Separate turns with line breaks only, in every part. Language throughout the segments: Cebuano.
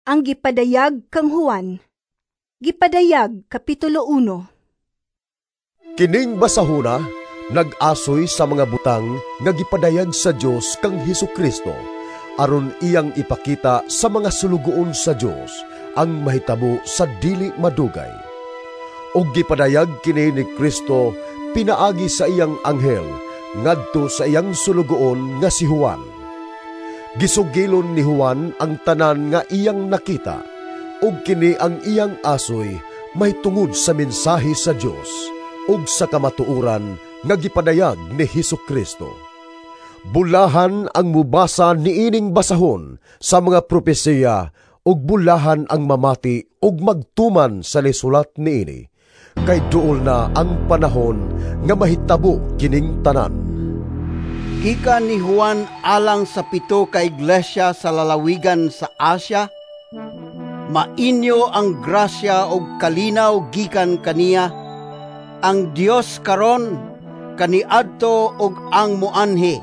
Ang gipadayag kang Juan. Gipadayag, Kapitulo 1.
Kining basahona nag-asoy sa mga butang nga gipadayag sa Dios kang Hesukristo aron iyang ipakita sa mga sulugoon sa Dios ang mahitabo sa dili madugay. Ug gipadayag kini ni Kristo pinaagi sa iyang anghel ngadto sa iyang sulugoon nga si Juan. Gisugilon ni Juan ang tanan nga iyang nakita, ug kini ang iyang asoy mahitungod sa mensahe sa Dios ug sa kamatuoran nga gipadayag ni Hesukristo. Bulahan ang mubasa niining basahon sa mga propesiya ug bulahan ang mamati ug magtuman sa lisulat niini, kay duol na ang panahon nga mahitabo kining tanan.
Gikan ni Juan alang sa 7 ka iglesia sa lalawigan sa Asia, mainyo ang grasya ug kalinaw gikan kaniya, ang Dios karon, kaniadto ug ang muanhi.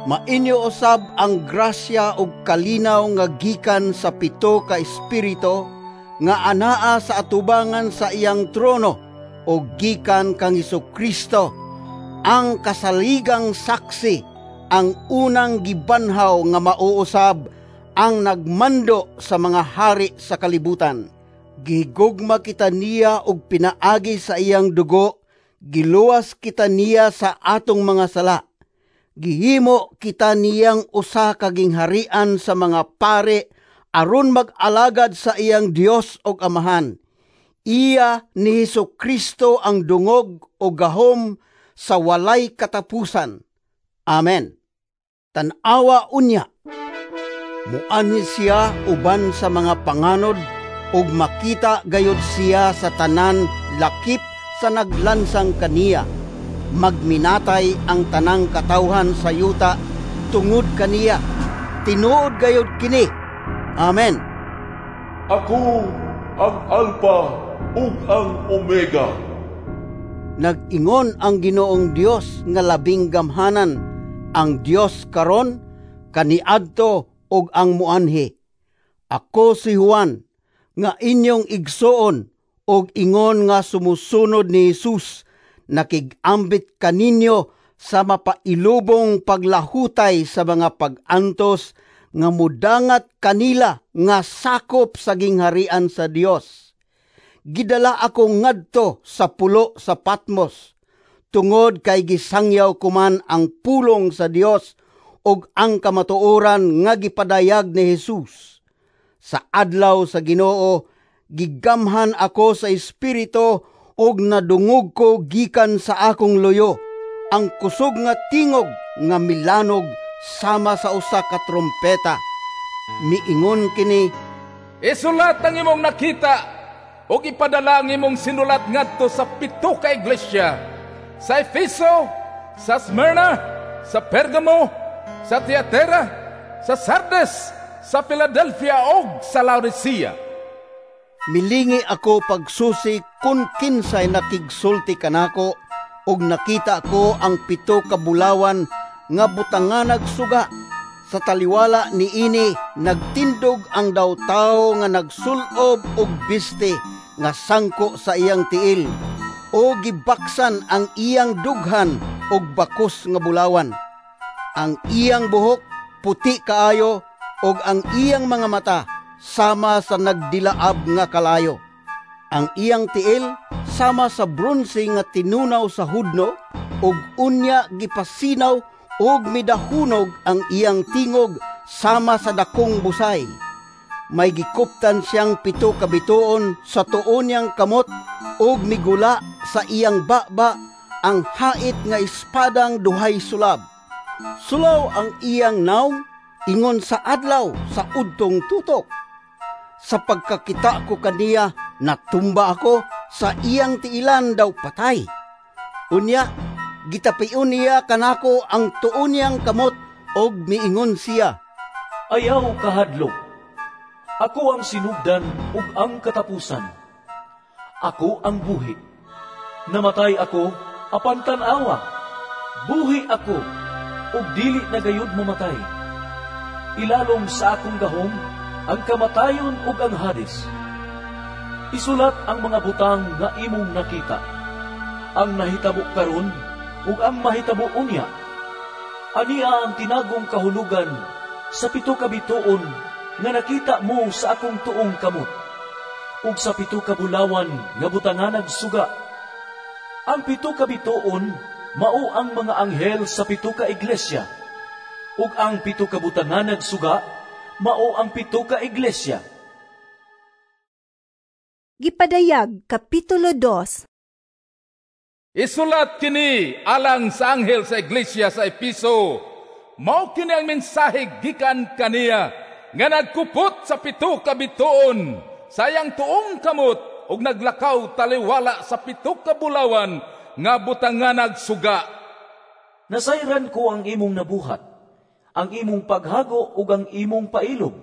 Mainyo usab ang grasya ug kalinaw nga gikan sa 7 ka espiritu nga anaa sa atubangan sa iyang trono ug gikan kang Hesukristo, ang kasaligang saksi, ang unang gibanhaw nga mauusab, ang nagmando sa mga hari sa kalibutan. Gihigugma kita niya og pinaagi sa iyang dugo, giluwas kita niya sa atong mga sala. Gihimo kita niyang usa ka gingharian sa mga pare aron mag-alagad sa iyang Dios og Amahan. Iya ni Hesukristo ang dungog o gahom sa walay katapusan. Amen. Tan-awa unya, muanhi siya uban sa mga panganod ug makita gayud siya sa tanan lakip sa naglansang kaniya. Magminatay ang tanang katawhan sa yuta tungod kaniya. Tinuod gayud kini. Amen.
Ako ang Alpha ug ang Omega.
Nag-ingon ang Ginoong Dios nga labing gamhanan, ang Dios karon, kaniadto ug ang muanhi. Ako si Juan, nga inyong igsoon ug ingon nga sumusunod ni Jesus, nakig-ambit kaninyo sa mapailubong paglahutay sa mga pag-antos nga mudangat kanila nga sakop sa gingharian sa Dios. Gidala ako ngadto sa pulo sa Patmos, tungod kay gisangyaw ko man ang pulong sa Dios ug ang kamatuoran nga gipadayag ni Jesus. Sa adlaw sa Ginoo, gigamhan ako sa Espiritu ug nadungog ko gikan sa akong luyo ang kusog nga tingog nga milanog sama sa usa ka trompeta. Miingon kini,
"Isulat ang imong nakita ug ipadala ang imong sinulat ngadto sa 7 ka iglesia, sa Efeso, sa Smyrna, sa Pergamo, sa Tiatira, sa Sardes, sa Philadelphia ug sa Laodicea."
Milingi ako pagsusi kung kinsay nakigsulti kanako, ug nakita ko ang 7 ka bulawan nga butanganag suga. Sa taliwala niini nagtindog ang daw tawo nga nagsulob og biste nga sangko sa iyang tiil, o gibaksan ang iyang dughan og bakos nga bulawan. Ang iyang buhok puti kaayo ug ang iyang mga mata sama sa nagdilaab nga kalayo. Ang iyang tiil sama sa bronse nga tinunaw sa hudno, ug unya gipasinaw ug midahunog ang iyang tingog sama sa dakong busay. May gikuptan siyang 7 ka bituon sa tuon niyang kamot ug migula sa iyang baba ang hait nga espadang duhay sulab. Sulaw ang iyang nawong ingon sa adlaw sa udtong tutok. Sa pagkakita ko kaniya, natumba ako sa iyang tiilan daw patay. Unya, gitapion niya kanako ang tuon niyang kamot og miingon siya,
"Ayaw kahadlok. Ako ang sinugdan ug ang katapusan. Ako ang buhi. Namatay ako apan tan-awa. Buhi ako ug dili na gayud mamatay. Ilalom sa akong gahom ang kamatayon ug ang Hades. Isulat ang mga butang nga imong nakita, ang nahitabo karon ug ang mahitabo unya. Ania ang tinagong kahulugan sa 7 ka bituon nga nakita mo sa akong tuong kamot, ug sa 7 ka bulawan nga butanganag suga. Ang 7 ka bituon mao ang mga anghel sa 7 ka iglesia, ug ang 7 ka butanganag suga mao ang 7 ka iglesia.
Gipadayag Kapitulo 2.
Isulat kini alang sa anghel sa iglesia sa Episo. Mao kini ang mensahe gikan kaniya nga nagkupot sa 7 ka bituon sa iyang tuong kamot ug naglakaw taliwala sa 7 ka bulawan nga butanganag suga.
Nasayran ko ang imong nabuhat, ang imong paghago ug ang imong pailob.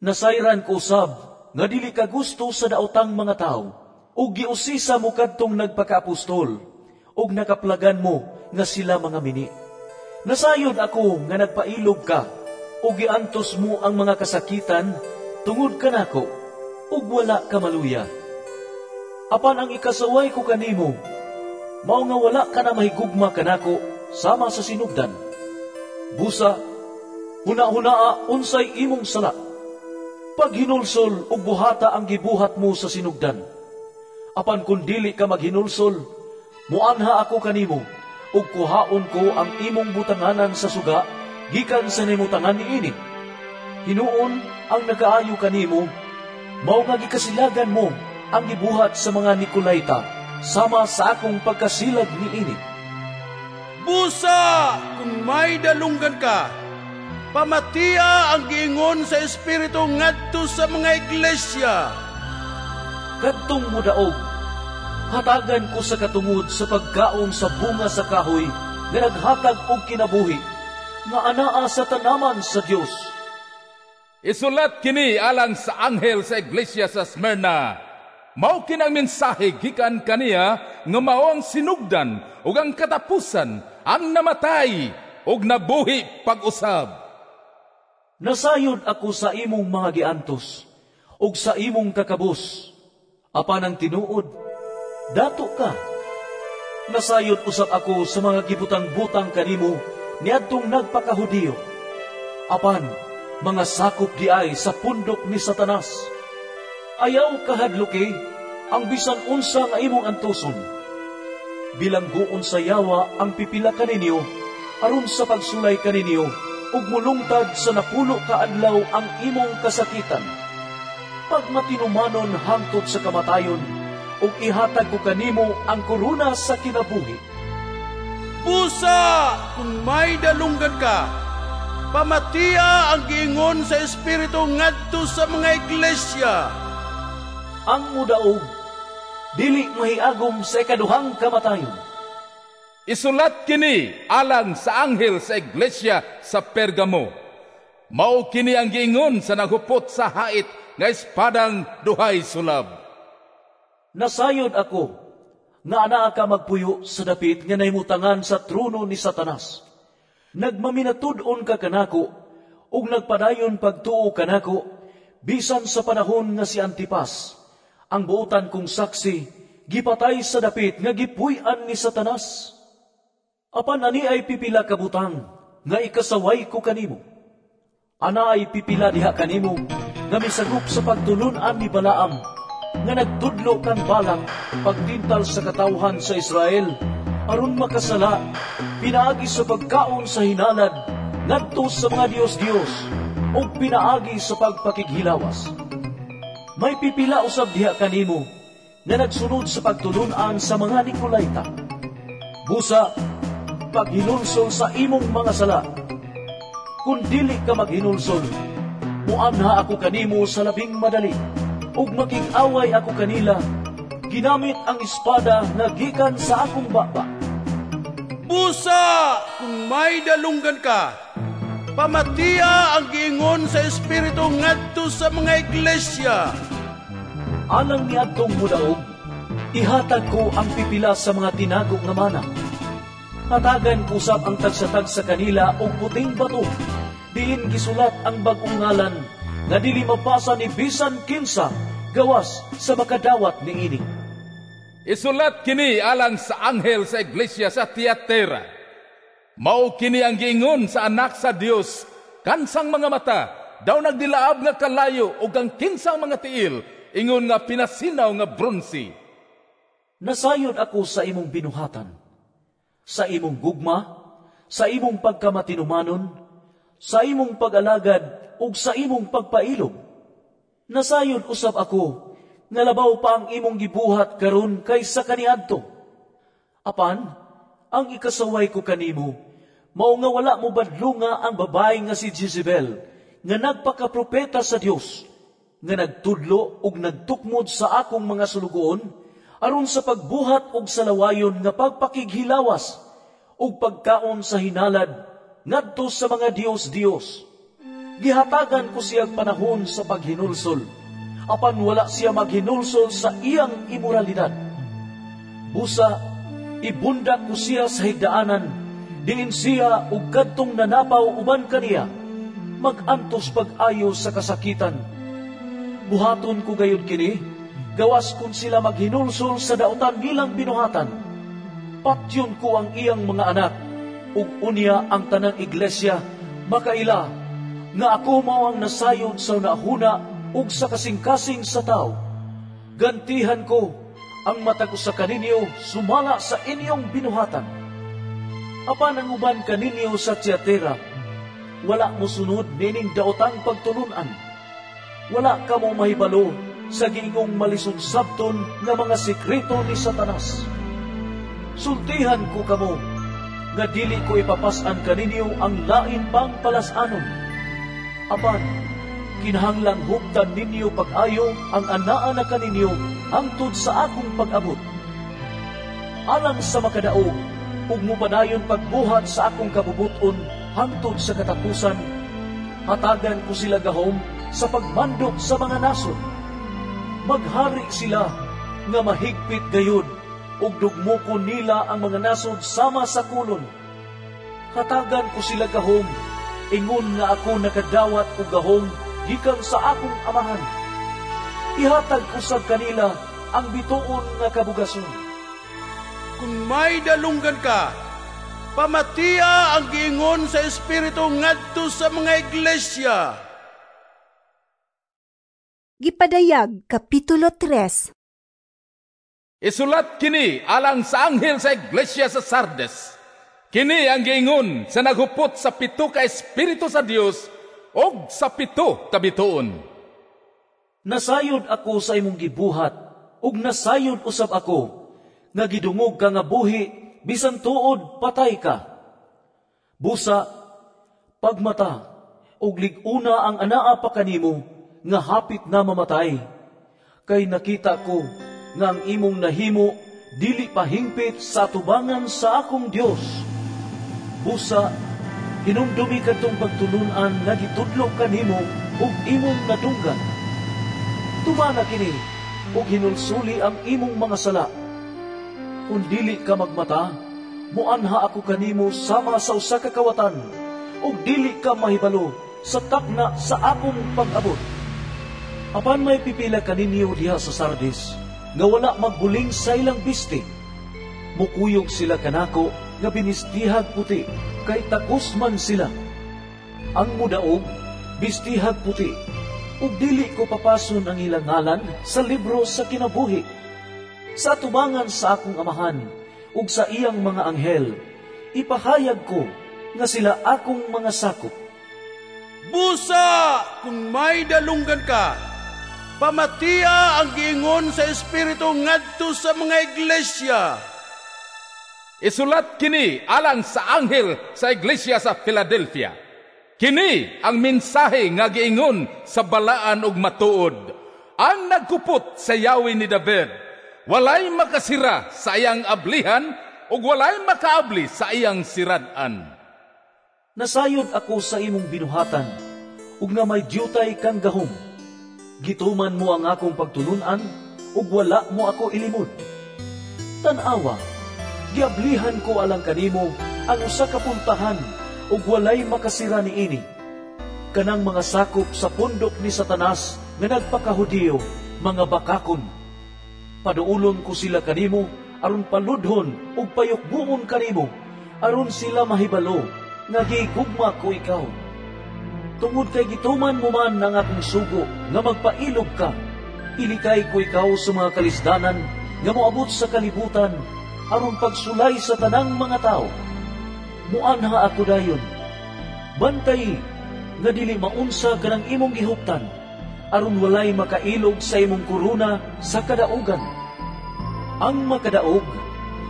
Nasayran ko sab nga dili ka gusto sa daotang mga tawo, ug giusisa mo kadtong nagpakaapostol, ug nakaplagan mo nga sila mga mini. Nasayod ako nga nagpailob ka, ug giantos mo ang mga kasakitan tungod kanako, ug wala ka maluya. Apan ang ikasaway ko kanimo, mao nga wala ka na mahigugma kanako sama sa sinugdan. Busa, huna-hunaa unsay imong sala. Paghinulsol ug buhata ang gibuhat mo sa sinugdan. Apan kun dili ka maghinulsol, muanha ako kanimo, ug kuhaon ko ang imong butanganan sa suga gikan sa nimutangan niini. Hinuon ang nagaayo kanimo, mao nga gikasilagan mo ang gibuhat sa mga Nicolaita, sama sa akong pagkasilag niini.
Busa, kung may dalunggan ka, pamatiya ang giingon sa Espiritu ngadto sa mga iglesia.
Kadtong mudaog, hatagan ko sa katungod sa pagkaon sa bunga sa kahoy nga naghatag og kinabuhi, nga anaa sa tanaman sa Dios.
Isulat kini alang sa anghel sa iglesia sa Smyrna. Mao kini ang mensahe gikan kaniya nga mao ang sinugdan ug ang katapusan, ang namatay ug nabuhi pag-usab.
Nasayod ako sa imong mga giantos ug sa imong kakabos. Apan ang tinuod, dato ka. Nasayod usab ako sa mga gibutang-butang kanimo niadtong nagpakahudiyo. Apan mga sakop diay sa pundok ni Satanas. Ayaw kahadluki ang bisan unsa nga imong antuson. Bilanggoon sa yawa ang pipila kaninyo aron sa pagsulay kaninyo ug mulungtad sa 10 ka adlaw ang imong kasakitan. Pagmatinumanon hangtod sa kamatayon, ug ihatag ko kanimo ang korona sa kinabuhi.
Busa, kung may dalunggan ka, pamatiya ang giingon sa Espiritu ngadto sa mga iglesia.
Ang mudaog, dili mahiagom sa ikaduhang kamatayon.
Isulat kini alang sa anghel sa iglesia sa Pergamo. Mao kini ang giingon sa naghupot sa hait nga espadang duhay sulab.
Nasayod ako nga anaa ka magpuyo sa dapit nga nahimutangan sa trono ni Satanas. Nagmaminatud-on ka kanako ug nagpadayon pagtuo kanako bisan sa panahon nga si Antipas, ang buotan kong saksi, gipatay sa dapit nga gipuy-an ni Satanas. Apan ani ay pipila ka butang nga ikasaway ko kanimo. Ana ay pipila diha kanimo nga misagop sa pagtulun-an ni Balaam, nga nagtudlo kang Balak pagtintal sa katawhan sa Israel aron makasala pinaagi sa pagkaon sa hinalad ngadto sa mga dios-dios ug pinaagi sa pagpakighilawas. May pipila usab diha kanimo nga nagsunod sa pagtulun-an sa mga Nicolaita. Busa, paghinulsol sa imong mga sala. Kung dili ka maghinulsol, muanha ako kanimo sa labing madali, ug makig-away ako kanila, ginamit ang espada nga gikan sa akong baba.
Busa, kung may dalunggan ka, pamatiya ang giingon sa Espiritu ngadto sa mga iglesia.
Alang niadtong mudaog, ihatag ko ang pipila sa mga tinago nga mana. Hatagan ko sab ang tagsa-tagsa kanila og puting bato, diin gisulat ang bag-ong ngalan nga dili mapasa ni bisan kinsa gawas sa makadawat niini.
Isulat kini alang sa anghel sa iglesia sa Tiatira. Mao kini ang giingon sa anak sa Dios, kansang mga mata daw nagdilaab nga kalayo ug ang kinsang mga tiil ingon nga pinasinaw nga bronse.
Nasayod ako sa imong binuhatan, sa imong gugma, sa imong pagkamatinumanon, sa imong pag-alagad ug sa imong pagpailob. Nasayod usab ako nga labaw pa ang imong gibuhat karon kaysa kaniadto. Apan ang ikasaway ko kanimo mao nga wala mo badlunga ang babae nga si Jezebel, nga nagpakapropeta sa Dios, nga nagtudlo ug nagtukmod sa akong mga sulugoon aron sa pagbuhat og salawayon nga pagpakighilawas ug pagkaon sa hinalad ngadto sa mga Dios-Dios. Gihatagan ko siyang panahon sa paghinulsol, apan wala siya maghinulsol sa iyang imoralidad. Busa, ibundak ko siya sa higdaanan, diin siya ug kadtong nanapaw uban kaniya, magantos pag-ayo sa kasakitan. Buhaton ko gayud kini, gawas kun sila maghinulsol sa dautan nilang binuhatan. Patyon ko ang iyang mga anak, ug unya ang tanang iglesia makaila nga ako mao ang nasayod sa nahuna ug sa kasing-kasing sa tao. Gantihan ko ang matag usa kaninyo sumala sa inyong binuhatan. Apan ang uban kaninyo sa Tiatira, wala mosunod nining daotang pagtulun-an. Wala kamo mahibalo sa giingong malisod sabton nga mga sekreto ni Satanas. Sultihan ko kamo nga dili ko ipapas-an kaninyo ang lain pang palas-anon. Apan kinahanglang huptan ninyo pag-ayo ang anaa na kaninyo hangtod sa akong pag-abot. Alang sa makadaog ug mopadayon pagbuhat sa akong kabubuton hangtod sa katapusan, hatagan ko sila gahom sa pagmandok sa mga nasod. Maghari sila nga mahigpit gayud ug dugmukon nila ang mga nasod sama sa kulon. Hatagan ko sila gahom ingon nga ako nakadawat og gahom gikan sa akong amahan. Ihatag ko sa kanila ang bituon nga kabugason.
Kung may dalunggan ka, pamatiya ang giingon sa Espiritu ngadto sa mga iglesia.
Gipadayag, Kapitulo 3.
Isulat kini alang sa anghel sa iglesia sa Sardes. Kini ang giingon sa naghupot sa 7 ka espiritu sa Dios og sa 7 ka bituon.
Nasayod ako sa imong gibuhat ug nasayod usab ako nga gidungog ka nga buhi bisan tuod patay ka. Busa, pagmata ug lig-una ang anaa pa kanimo nga hapit na mamatay. Kay nakita ko nga ang imong nahimo dili pahingpit sa tubangan sa akong Dios. Busa, hinumdumi kadtong pagtulun-an nga gitudlo kanimo ug imong nadunggan. Tumana kini ug hinulsuli ang imong mga sala. Kung dili ka magmata, muanha ako kanimo sama sa usa ka kawatan, ug dili ka mahibalo sa takna sa akong pag-abot. Apan may pipila kaninyo diha sa Sardis nga wala magbuling sa ilang bisti. Mukuyog sila kanako nga binistihag puti, kay takos man sila. Ang mudaog, bistihag puti, ug dili ko papason ang ilang ngalan sa libro sa kinabuhi. Sa tubangan sa akong amahan ug sa iyang mga anghel, ipahayag ko nga sila akong mga sakop.
Busa, kung may dalunggan ka, pamatiya ang giingon sa Espiritu ngadto sa mga iglesia.
Isulat kini alang sa anghel sa iglesia sa Philadelphia. Kini ang mensahe nga giingon sa balaan ug matuod. Ang nagkupot sa yawi ni David, walay makasira sa iyang ablihan ug walay makaabli sa iyang sirad-an.
Nasayod ako sa imong binuhatan ug nga may dyutay kang gahom. Gituman mo ang akong pagtulun-an ug wala mo ako ilimod. Tan-awa, giablihan ko alang kanimo ang usa ka puntahan ug walay makasira niini. Kanang mga sakop sa pundok ni Satanas nga nagpakahudiyo, mga bakakon. Paduulon ko sila kanimo aron paludhon ug payukbuon kanimo, aron sila mahibalo nga gigugma ko ikaw. Tungod kay gituman mo man ang akong sugo nga magpailog ka, ilikay ko ikaw sa mga kalisdanan nga moabot sa kalibutan aron pagsulay sa tanang mga tao. Muanha ako dayon. Bantay nga dili maunsa kanang imong gihuptan, aron walay makailog sa imong korona sa kadaugan. Ang makadaog,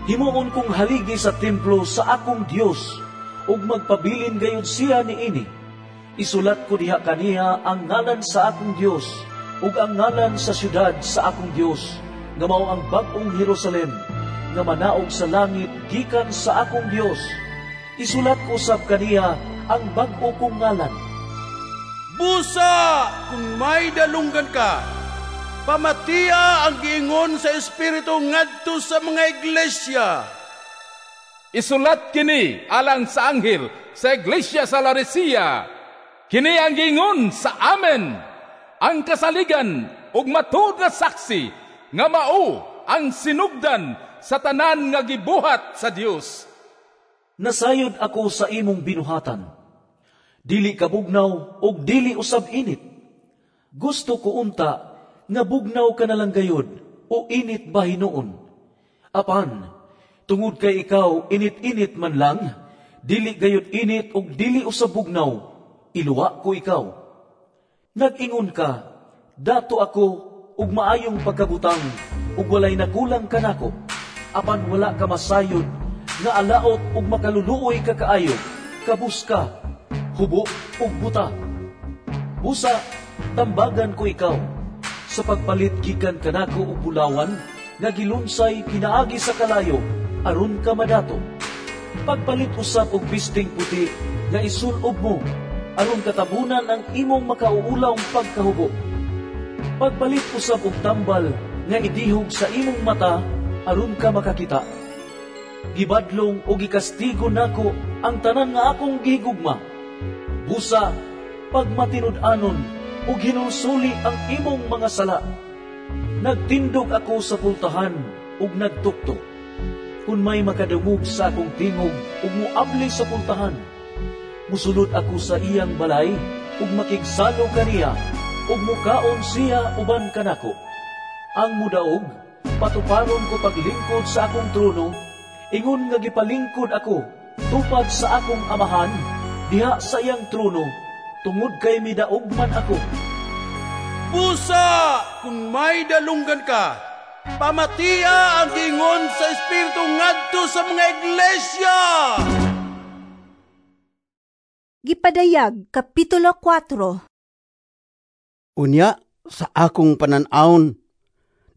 himuon kong haligi sa templo sa akong Dios, ug magpabilin gayud siya niini. Isulat ko diha kaniya ang ngalan sa akong Dios, ug ang ngalan sa syudad sa akong Dios, nga mao ang bag-ong Jerusalem, nga manaog sa langit gikan sa akong Dios. Isulat ko sab kaniya ang bag-o kong ngalan.
Busa, kung may dalunggan ka, pamatiya ang giingon sa Espiritu ngadto sa mga iglesia.
Isulat kini alang sa anghel sa iglesia sa Laodicea. Kini ang giingon sa Amen, ang kasaligan ug matuod nga saksi nga mao ang sinugdan sa tanan nga gibuhat sa Dios.
Nasayod ako sa imong binuhatan. Dili ka bugnaw ug dili usab init. Gusto ko unta nga bugnaw ka na lang gayud o init ba hinuon. Apan, tungod kay ikaw init-init man lang, dili gayud init ug dili usab bugnaw, iluwa ko ikaw. Nag-ingon ka, dato ako ug maayong pagkabutang ug walay nakulang kanako. Apan wala ka masayod nga alaot ug makaluluoy ka kaayo, kabus ka, hubo ug buta. Busa, tambagan ko ikaw sa pagpalit gikan kanako og bulawan nga gilunsay kinaagi sa kalayo aron ka madato. Pagpalit usab og bisting puti nga isulob mo aron katabunan ang imong makauulawng pagkahubo. Pagpalit usab og tambal nga idihog sa imong mata aron ka makakita. Gibadlong o gikastigo nako ang tanan nga akong gihigugma. Busa, pagmatinud-anon ug hinulsuli ang imong mga sala. Nagtindog ako sa pultahan ug nagtuktok. Kung may makadungog sa akong tingog ug moabli sa pultahan, musulod ako sa iyang balay ug makigsalo kaniya ug mukaon siya uban kanako. Ang mudaog, patuparon ko paglingkod sa akong trono, ingon nga gipalingkod ako tupad sa akong amahan diha sa iyang trono, tungod kay midaog man ako.
Busa, kung may dalunggan ka, pamatiya ang giingon sa Espiritu ngadto sa mga iglesia.
Gipadayag, Kapitulo 4.
Unya, sa akong panan-awon,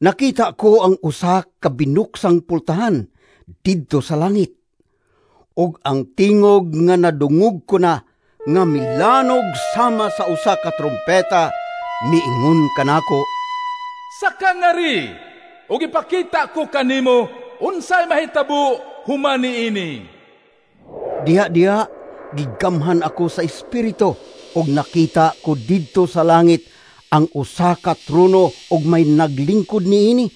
nakita ko ang usa ka binuksang pultahan didto sa langit. Og ang tingog nga nadungog ko na nga milanog sama sa usa ka trompeta, miingon kanako,
Saka ngari, ug ipakita ko kanimo unsay mahitabo human niini.
Diha-diha gigamhan ako sa espiritu ug nakita ko didto sa langit ang usa ka trono ug may naglingkod niini.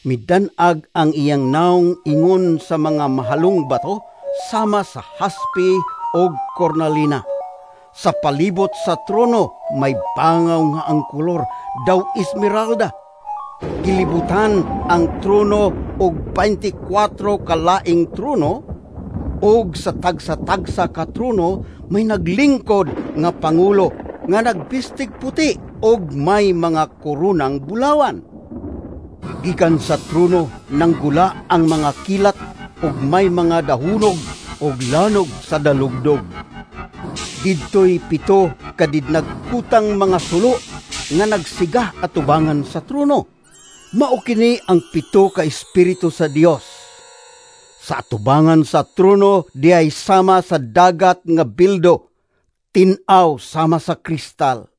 Midan-ag ang iyang naong ingon sa mga mahalong bato sama sa haspi og kornalina. Sa palibot sa trono may bangaw nga ang kolor daw esmeralda. Gilibutan ang trono og 24 kalaing trono, og sa tagsa-tagsa ka trono may naglingkod nga pangulo nga nagbistig puti og may mga koronang bulawan. Gikan sa trono nanggula ang mga kilat og may mga dahunog og lanog sa dalugdog. Didtoy pito kadidnagkutang mga sulo nga nagsiga atubangan sa trono. Mao kini ang pito ka espiritu sa Dios. Sa atubangan sa trono diay sama sa dagat nga bildo, tin-aw sama sa kristal.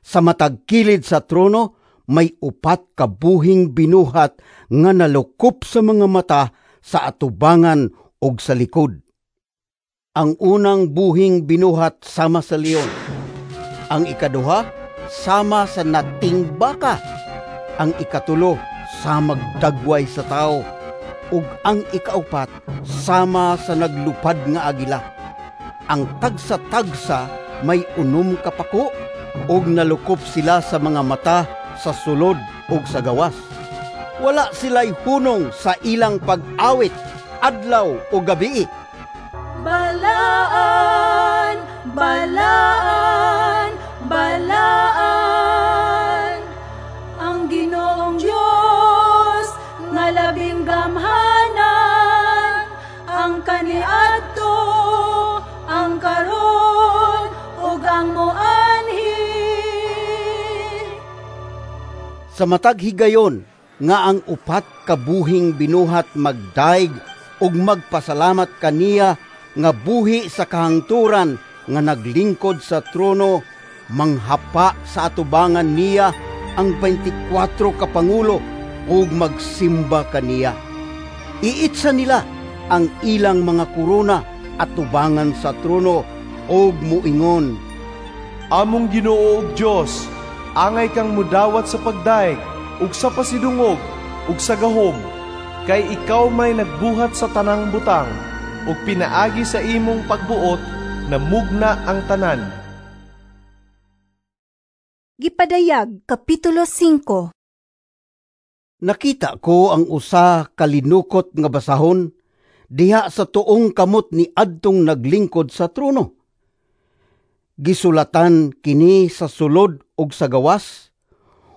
Sa matag kilid sa trono may upat ka buhing binuhat nga nalukop sa mga mata sa atubangan og sa likod. Ang unang buhing binuhat sama sa leon, Ang ikaduha sama sa nating baka. Ang ikatulo samag dagway sa tao. Ug ang ikaupat sama sa naglupad nga agila. Ang tagsa-tagsa may 6 ka pako ug nalukop sila sa mga mata sa sulod ug sa gawas. Wala sila'y hunong sa ilang pag-awit adlaw o gabii.
Balaan, balaan, balaan ang Ginoong Dios nga labing gamhanan, ang kaniadto, ang karon ug ang moanhi.
Sa matag higayon nga ang 4 ka buhing binuhat magdaig ug magpasalamat kaniya nga buhi sa kahangturan nga naglingkod sa trono, manghapa sa atubangan niya ang 24 ka pangulo ug magsimba kaniya. Iitsa nila ang ilang mga korona atubangan sa trono ug muingon,
Among Ginoo ug Dios, angay kang mudawat sa pagdaig ug sa pasidungog ug sa gahom, kay ikaw may nagbuhat sa tanang butang, ug pinaagi sa imong pagbuot namugna ang tanan.
Gipadayag Kapitulo 5.
Nakita ko ang usa ka linukot nga basahon diha sa tuong kamot ni adtong naglingkod sa trono. Gisulatan kini sa sulod ug sa gawas,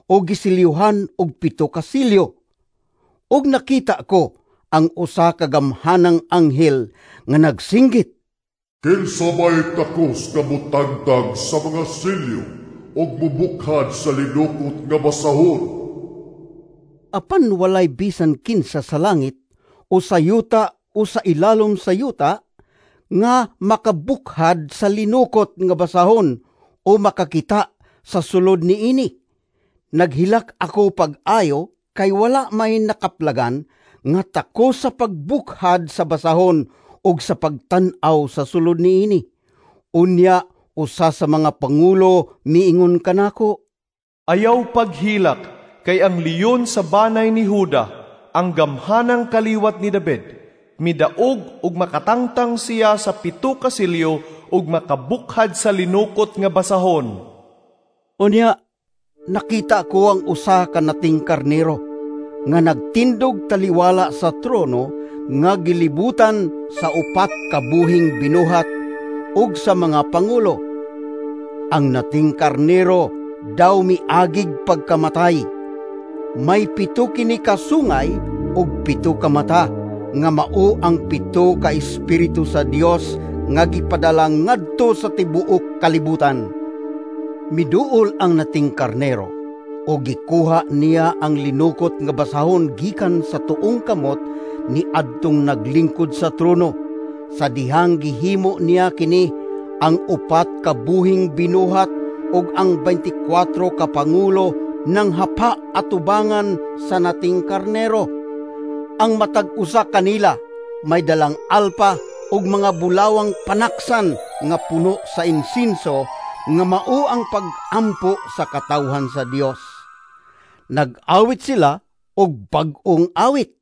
o gisilyuhan og 7 ka silyo. Ug nakita ko ang usa ka gamhanang anghel nga nagsinggit,
Kinsa may takos nga motagtag sa mga silyo ug mubukhad sa linukot nga basahon?
Apan walay bisan kinsa sa langit o sa yuta o sa ilalom sa yuta nga makabukhad sa linukot nga basahon o makakita sa sulod niini. Naghilak ako pag-ayo kay wala may nakaplagan nga tako sa pagbukhad sa basahon ug sa pagtan-aw sa sulod niini. Unya usa sa mga pangulo miingon kanako,
Ayaw paghilak kay ang leon sa banay ni Huda, ang gamhanang kaliwat ni David, midaog ug makatangtang siya sa 7 ka silyo ug makabukhad sa linukot nga basahon.
Unya nakita ko ang usa ka nating karnero nga nagtindog taliwala sa trono nga gilibutan sa 4 ka buhing binuhat ug sa mga pangulo. Ang nating karnero daw miagig pagkamatay. May 7 kini kasungay ug 7 ka mata nga mao ang 7 ka espiritu sa Dios nga gipadala ngadto sa tibuok kalibutan. Miduol ang nating karnero o gikuha niya ang linukot nga basahon gikan sa tuong kamot ni adtong naglingkod sa trono. Sa dihang gihimo niya kini ang 4 ka buhing binuhat ug ang 24 ka pangulo nang hapa atubangan sa nating karnero. Ang matag usa kanila may dalang alpa ug mga bulawang panaksan nga puno sa insinso nga mao ang pag-ampo sa katawhan sa Dios. Nag-awit sila og bag-ong awit.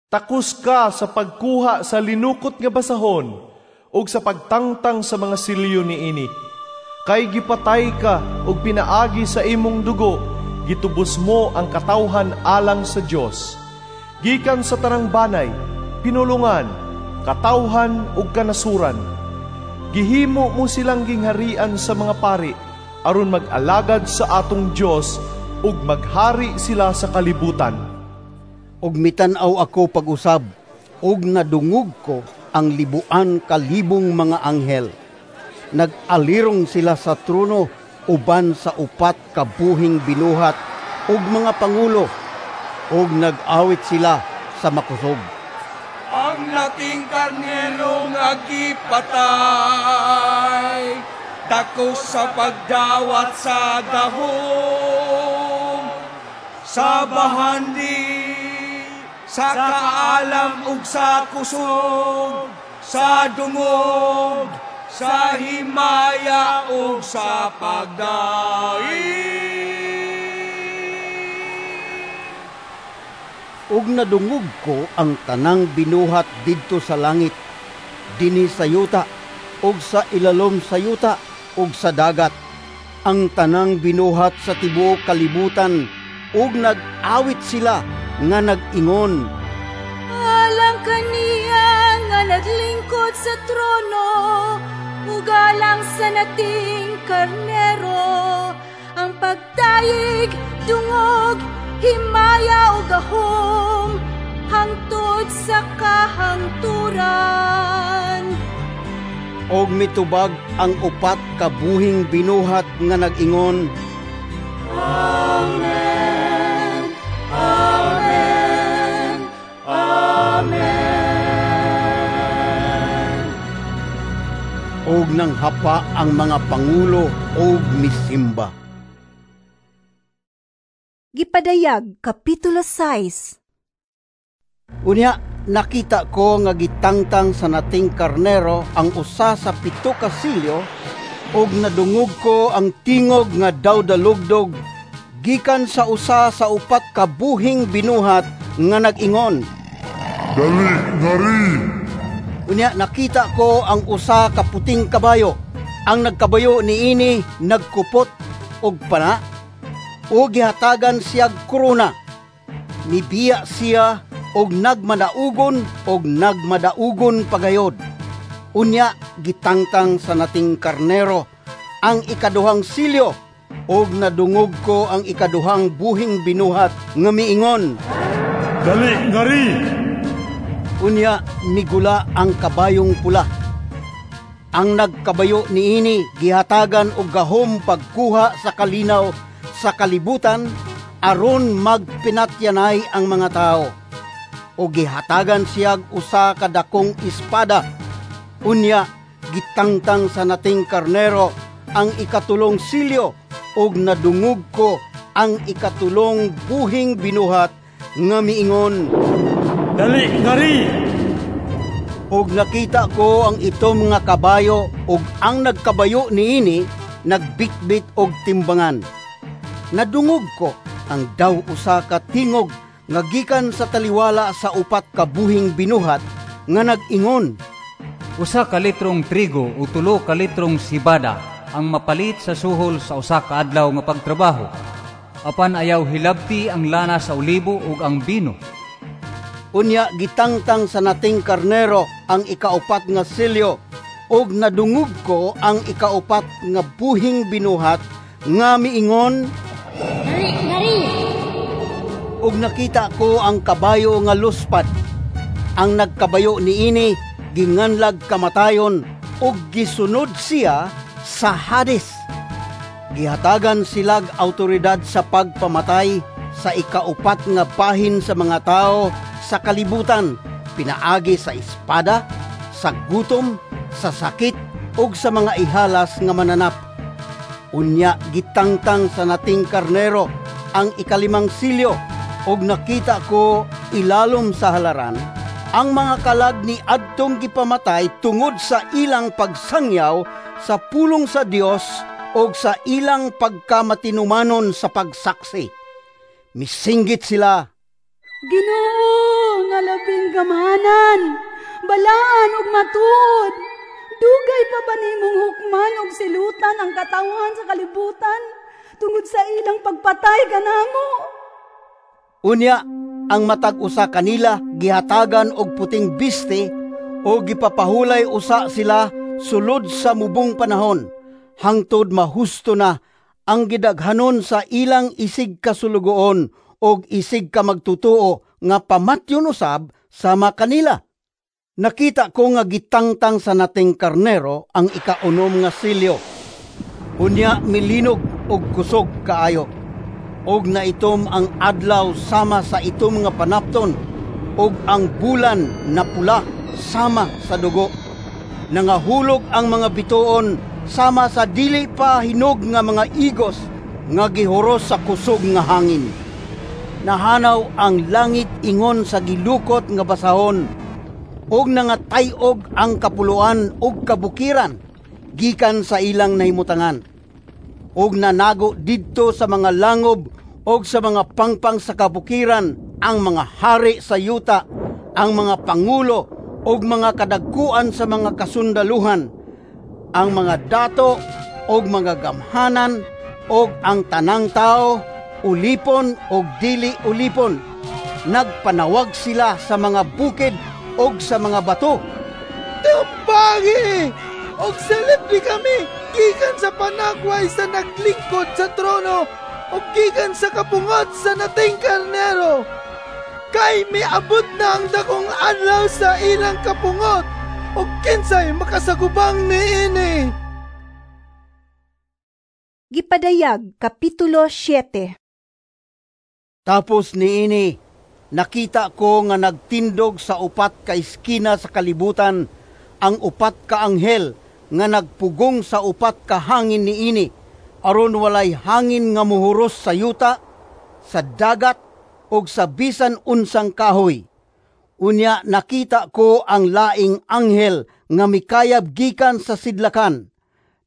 Takos ka sa pagkuha sa linukot nga basahon ug sa pagtangtang sa mga silyo niini. Kay gipatay ka ug pinaagi sa imong dugo, gitubos mo ang katawhan alang sa Dios. Gikan sa tanang banay, pinulungan, katawhan ug kanasuran. Gihimo mo silang gingharian sa mga pari aron mag-alagad sa atong Dios ug maghari sila sa kalibutan.
Ug mitan-aw ako pag-usab ug nadungog ko ang libuan kalibong mga anghel. Nag-alirong sila sa trono uban sa 4 ka buhing binuhat ug mga pangulo, ug nag-awit sila sa makusog.
Ang nating karnero nga gipatay, dako sa pagdawat sa gahom, sa bahandi, sa kaalam ug sa kusog, sa dungog,
sa himaya ug sa pagdaig.
Ug nadungog ko ang tanang binuhat didto sa langit, dinhi sa yuta, ug sa ilalom sa yuta, ug sa dagat. Ang tanang binuhat sa tibuok kalibutan, ug nag-awit sila nga nag-ingon,
Alang kaniya nga naglingkod sa trono, ug alang sa nating karnero, ang pagdayeg, dungog, himaya ug gahom, hangtod sa kahangturan.
Og mitubag ang upat ka buhing binuhat nga nag-ingon,
Amen, Amen, Amen.
Og nanghapa ang mga pangulo og misimba.
Gipadayag, Kapitulo 6.
Unya, nakita ko nga gitangtang sa nating karnero ang usa sa 7 ka silyo, ug nadungog ko ang tingog nga daw dalugdog gikan sa usa sa 4 ka buhing binuhat nga nag-ingon,
Dali ngari!
Unya, nakita ko ang usa ka puting kabayo. Ang nagkabayo niini nagkupot og pana, ug gihatagan siyag korona. Nibiya siya og nagmadaugon og nagmadaugon pagayod. Unya, gitangtang sa nating karnero ang ikaduhang silyo, ug nadungog ko ang ikaduhang buhing binuhat nga miingon,
Dali ngari!
Unya, migula ang kabayong pula. Ang nagkabayo niini gihatagan og gahom pagkuha sa kalinaw sa kalibutan aron magpinatyanay ang mga tao. O gihatagan siyag usa ka dakong espada. Unya, gitangtang sa nating karnero ang ikatulong silyo, ug nadungog ko ang ikatulong buhing binuhat nga miingon,
Dali ngari!
Ug nakita ko ang itom nga kabayo, ug ang nagkabayo niini nagbitbit og timbangan. Nadungog ko ang daw usa ka tingog nga gikan sa taliwala sa 4 ka buhing binuhat nga nag-ingon,
Usa ka litrong trigo o 3 ka litrong sibada ang mapalit sa suhol sa usa ka adlaw nga pagtrabaho. Apan ayaw hilabti ang lana sa olibo ug ang bino.
Unya, gitangtang sa nating karnero ang ikaupat nga silyo, ug nadungog ko ang ikaupat nga buhing binuhat nga miingon,
Dali ngari!
Ug nakita ko ang kabayo nga luspad. Ang nagkabayo niini ginganlag kamatayon, ug gisunod siya sa Hades. Gihatagan silag autoridad sa pagpamatay sa ikaupat nga bahin sa mga tao sa kalibutan, pinaagi sa espada, sa gutom, sa sakit, ug sa mga ihalas nga mananap. Unya, gitangtang sa nating karnero ang ikalimang silyo, ug nakita ko ilalom sa halaran ang mga kalag ni adtong gipamatay tungod sa ilang pagsangyaw sa pulong sa Dios ug sa ilang pagkamatinumanon sa pagsaksi. Misinggit sila,
Ginoo nga labing gamanan, balaan ug matuod, dugay pa ba nimong hukman ug silutan ang katawhan sa kalibutan tungod sa ilang pagpatay kanamo?
Unya, ang matag usa kanila gihatagan og puting biste o gipapahulay usa sila sulod sa mubong panahon, hangtod mahusto na ang gidaghanon sa ilang isig kasulugoon og isig ka magtutuo nga pamatyon usab sama kanila. Nakita ko nga gitangtang sa nating karnero ang ikaunom nga silyo. Unya milinog og kusog kaayo, og naitom ang adlaw sama sa itom nga panapton, og ang bulan napula sama sa dugo. Nangahulog ang mga bituon sama sa dili pa hinog nga mga igos nga gihuros sa kusog nga hangin. Nahanaw ang langit ingon sa gilukot nga basahon, og nangatay-og ang kapuluan og kabukiran. gikan sa ilang nahimutangan. Ug nanago didto sa mga langob ug sa mga pangpang sa kabukiran ang mga hari sa yuta, ang mga pangulo ug mga kadagkuan sa mga kasundaluhan, ang mga dato ug mga gamhanan ug ang tanang tawo, ulipon ug dili ulipon. Nagpanawag sila sa mga bukid ug sa mga bato.
Tumbangi! Og silibdi kami gikan sa panagway sa naglingkod sa trono ug gikan sa kapungot sa Nating Karnero. Kay miabot na ang dakong adlaw sa ilang kapungot ug kinsay makasagubang niini.
Gipadayag, Kapitulo 7.
Tapos niini, nakita ko nga nagtindog sa upat ka iskina sa kalibutan ang upat ka anghel nga nagpugong sa upat ka hangin niini, aron walay hangin nga muhuros sa yuta, sa dagat, ug sa bisan unsang kahoy. Unya nakita ko ang laing anghel nga mikayab gikan sa sidlakan.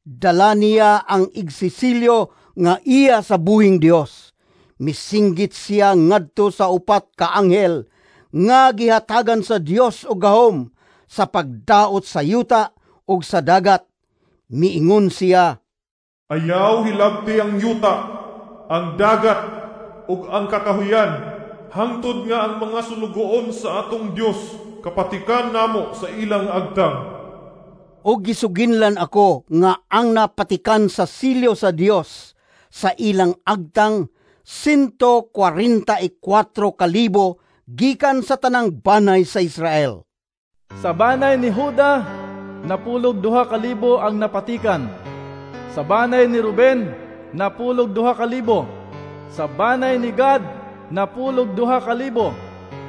Dala niya ang igsisilyo nga iya sa buhing Dios. Misinggit siya ngadto sa upat ka anghel nga gihatagan sa Dios og gahom sa pagdaot sa yuta ug sa dagat. Miingon siya,
Ayaw hilabti ang yuta, ang dagat ug ang kakahuyan, hangtod nga ang mga sulugoon sa atong Dios kapatikan namo sa ilang agtang.
Og gisuginlan ako nga ang napatikan sa silyo sa Dios sa ilang agtang 144,000 gikan sa tanang banay sa Israel.
Sa banay ni Juda, napulog 2,000 ang napatikan. Sa banay ni Ruben, napulog 2,000. Sa banay ni Gad, napulog 2,000.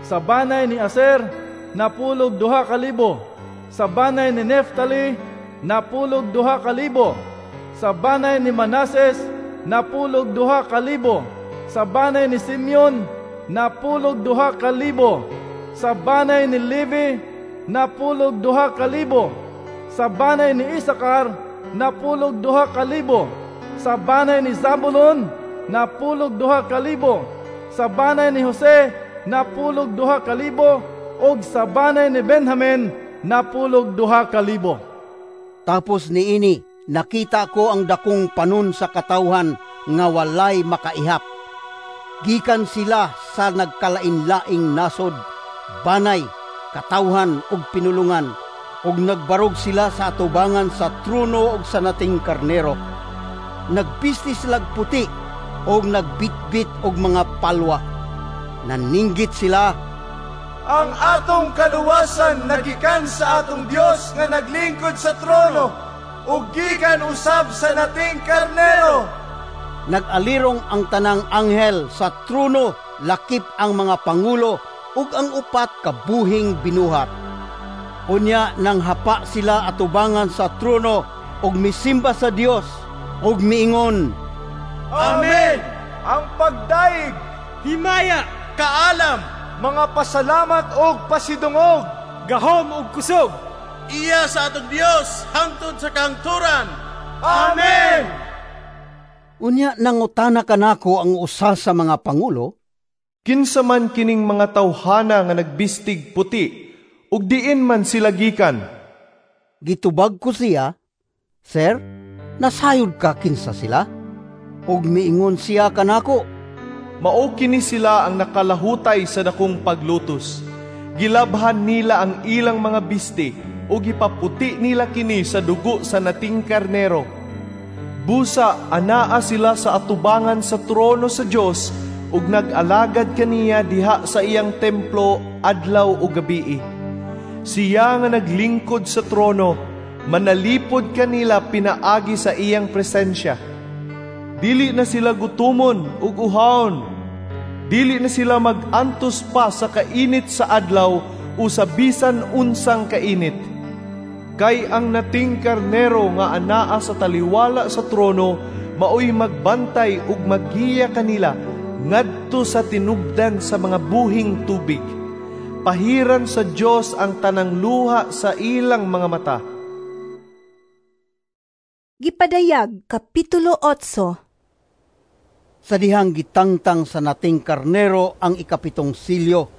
Sa banay ni Aser, napulog 2,000. Sa banay ni Neftali, napulog 2,000. Sa banay ni Manases, napulog 2,000. Sa banay ni Simeon, napulog 2,000. Sa banay ni Levi, napulog 2,000. Sa banay ni Isakar, napulog 2,000. Sa banay ni Zabulon, napulog 2,000. Sa banay ni Jose, napulog 2,000. Ug sa banay ni Benjamin, napulog 2,000.
Tapos niini, nakita ko ang dakong panon sa katawhan nga walay makaihap. Gikan sila sa nagkalain-laing nasod, banay, katawhan ug pinulungan, ug nagbarog sila sa atubangan sa trono ug sa Nating Karnero. Nagbisti silag puti ug nagbitbit og mga palwa. Naninggit sila,
Ang atong kaluwasan nagikan sa atong Dios nga naglingkod sa trono ug gikan usab sa Nating Karnero.
Nag-alirong ang tanang anghel sa trono, lakip ang mga pangulo ug ang upat ka buhing binuhat. Unya nang hapa sila atubangan sa trono ug misimba sa Dios ug miingon,
Amen! Ang pagdaig, himaya, kaalam, mga pasalamat og pasidungog, gahom ug kusog, iya sa atong Dios hangtod sa kahangturan. Amen!
Unya nangutana kanako ang usa sa mga pangulo,
Kinsa man kining mga tawhana nga nagbistig puti, ug diin man sila gikan?
Gitubag ko siya, Sir, nasayod ka kinsa sila? Ug miingon siya kanako,
Mao kini sila ang nakalahutay sa dakong paglutos. Gilabhan nila ang ilang mga bisti ug gipaputi nila kini sa dugo sa Nating Karnero. Busa anaa sila sa atubangan sa trono sa Dios ug nag-alagad kaniya diha sa iyang templo adlaw ug gabii. Siya nga naglingkod sa trono, manalipod kanila pinaagi sa iyang presensya. Dili na sila gutumon ug uhawon. Dili na sila mag-antos pa sa kainit sa adlaw o sa bisan unsang kainit. Kay ang Nating Karnero nga anaa sa taliwala sa trono maoy magbantay ug maggiya kanila ngadto sa tinubdan sa mga buhing tubig. Pahiran sa Dios ang tanang luha sa ilang mga mata.
Gipadayag, Kapitulo 8.
Sa dihang gitangtang sa nating karnero ang ikapitong silyo,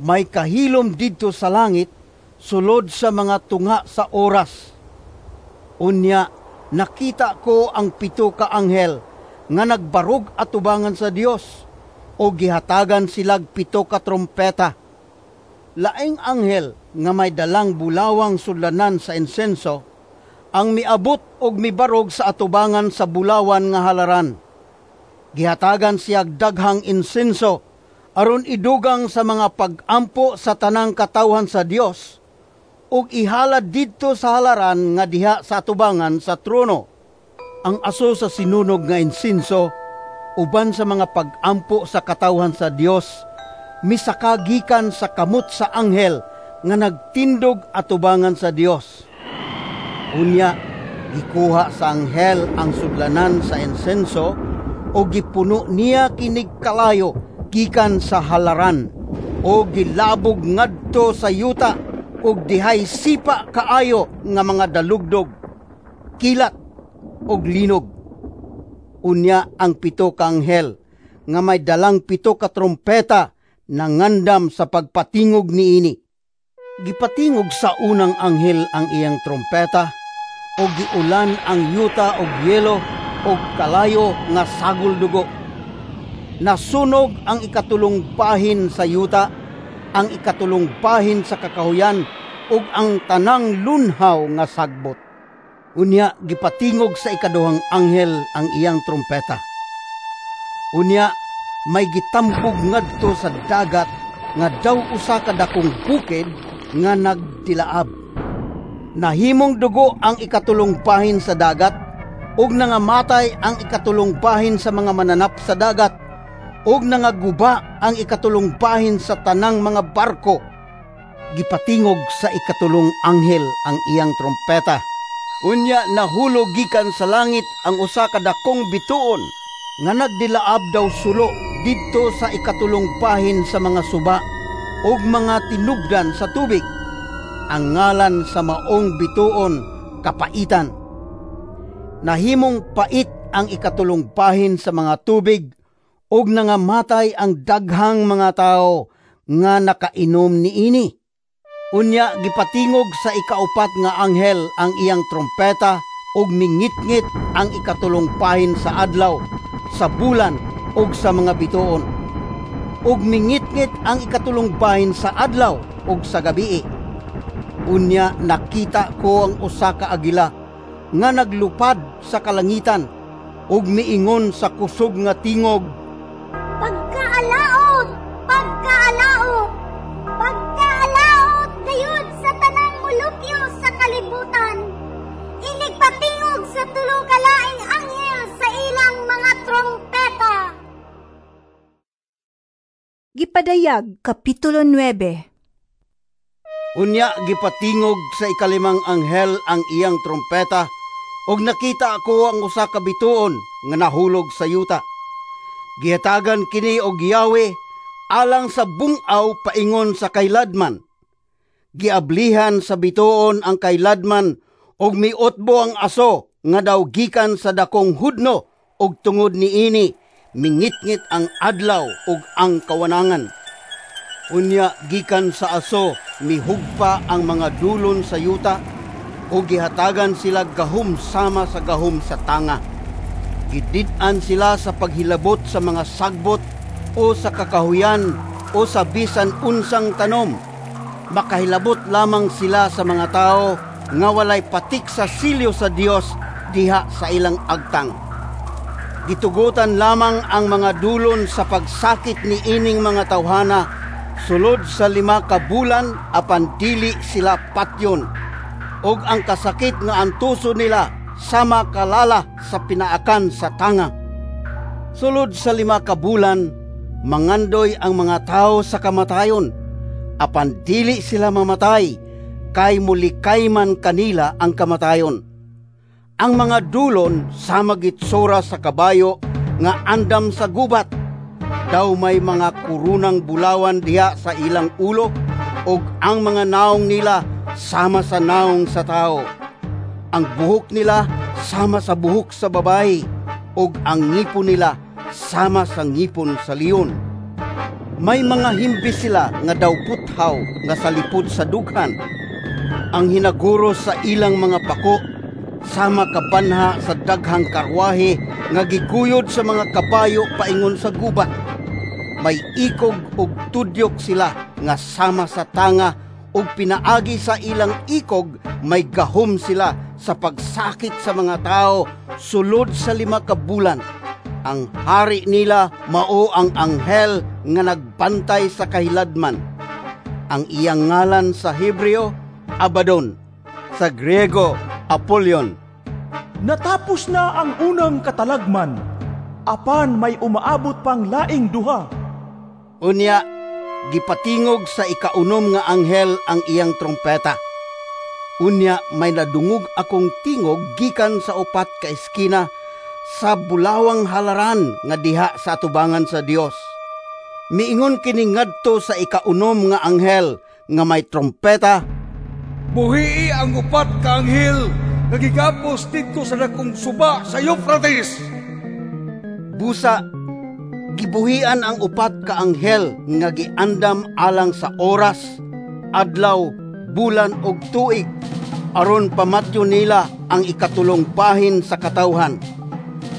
may kahilom didto sa langit sulod sa mga tunga sa oras. Unya, nakita ko ang 7 ka anghel nga nagbarog atubangan sa Dios o gihatagan silag 7 ka trompeta. Laing anghel nga may dalang bulawang sudlanan sa insenso ang miabot og mibarog sa atubangan sa bulawan nga halaran. Gihatagan siyag daghang insenso aron idugang sa mga pag-ampo sa tanang katawhan sa Dios ug ihalad didto sa halaran nga diha sa atubangan sa trono. Ang aso sa sinunog nga insenso uban sa mga pag-ampo sa katawhan sa Dios misaka gikan sa kamot sa anghel nga nagtindog atubangan sa Dios. Unya gikuha sa anghel ang sudlanan sa insenso o gipuno niya kinig kalayo gikan sa halaran o gilabog ngadto sa yuta ug dihay sipa kaayo nga mga dalugdog, kilat ug linog. Unya ang 7 ka anghel nga may dalang 7 ka trompeta nangandam sa pagpatingog niini. Gipatingog sa unang anghel ang iyang trompeta ug giulan ang yuta og yelo og kalayo nga sagol dugo. Nasunog ang 3 bahin sa yuta, ang 3 bahin sa kakahuyan ug ang tanang lunhaw nga sagbot. Unya gipatingog sa 2 anghel ang iyang trompeta. Unya may gitambog ngadto sa dagat nga daw usa ka dakong bukid nga nagtilaab. Nahimong dugo ang 3 bahin sa dagat ug nangamatay ang 3 bahin sa mga mananap sa dagat ug nangaguba ang 3 bahin sa tanang mga barko. Gipatingog sa 3 anghel ang iyang trompeta. Unya nahulog gikan sa langit ang usa ka dakong bituon nga nagdilaab daw sulo didto sa 3 bahin sa mga suba ug mga tinubdan sa tubig. Ang ngalan sa maong bituon Kapaitan. Nahimong pait ang 3 bahin sa mga tubig ug nangamatay ang daghang mga tawo nga nakainom niini. Unya gipatingog sa 4 nga anghel ang iyang trompeta ug mingitngit ang 3 bahin sa adlaw, sa bulan ug sa mga bituon. Ug mingitngit ang 3 bahin sa adlaw ug sa gabii. Unya nakita ko ang usa ka agila nga naglupad sa kalangitan ug miingon sa kusog nga tingog,
Pagkaalaot! Pagkaalaot! Pagkaalaot gayud sa tanang molupyo sa kalibutan! Inigpatingog sa 3 ka laing anghel sa ilang mga trompeta.
Gipadayag, Kapitulo 9.
Unya gipatingog sa 5 anghel ang iyang trompeta ug nakita ako ang usa ka bituon nga nahulog sa yuta. Gihatagan kini og yawe alang sa bungaw paingon sa kailadman. Giablihan sa bituon ang kailadman ug miutbo ang aso nga daw gikan sa dakong hudno ug tungod niini mingitngit ang adlaw ug ang kawanangan. Unya gikan sa aso mihugpa ang mga dulon sa yuta ug gihatagan sila gahom sama sa gahom sa tanga. Gidid-an sila sa paghilabot sa mga sagbot o sa kakahuyan o sa bisan unsang tanom. Makahilabot lamang sila sa mga tao nga walay patik sa silyo sa Dios diha sa ilang agtang. Gitugutan lamang ang mga dulon sa pagsakit ni ining mga tawhana sulod sa 5 ka bulan apan dili sila patyon. Og ang kasakit nga antuso nila sama kalala sa pinaakan sa tanga. Sulod sa 5 ka bulan, mangandoy ang mga tao sa kamatayon, apan dili sila mamatay, kay mulikay man kanila ang kamatayon. Ang mga dulon sama gitsura sa kabayo nga andam sa gubat, daw may mga kurunang bulawan diha sa ilang ulo, ug ang mga naong nila sama sa naong sa tao. Ang buhok nila sama sa buhok sa babayi, ug ang ngipon nila sama sa ngipon sa leon. May mga himbis sila nga daw puthaw nga salipod sa dughan. Ang hinaguro sa ilang mga pako sama kabanha sa daghang karwahe nga giguyod sa mga kabayo paingon sa gubat. May ikog ug tudyok sila nga sama sa tanga, ug pinaagi sa ilang ikog may gahom sila sa pagsakit sa mga tao sulod sa 5 ka bulan. Ang hari nila mao ang anghel nga nagbantay sa kahiladman. Ang iyang ngalan sa Hebreo, Abaddon, sa Griego, Apollyon.
Natapos na ang unang katalagman, apan may umaabot pang laing duha.
Unya, gipatingog sa ikaunom nga anghel ang iyang trompeta. Unya may nadungog akong tingog gikan sa 4 ka eskina sa bulawang halaran nga diha sa atubangan sa Dios. Miingon kini ngadto sa ikaunom nga anghel nga may trompeta,
"Buhii ang 4 ka anghel nga gigapos didto sa dakong suba sa Euphrates."
Busa gibuhian ang 4 ka anghel nga giandam alang sa oras, adlaw, bulan ug tuig, aron pamatyo nila ang ikatulong bahin sa katawhan.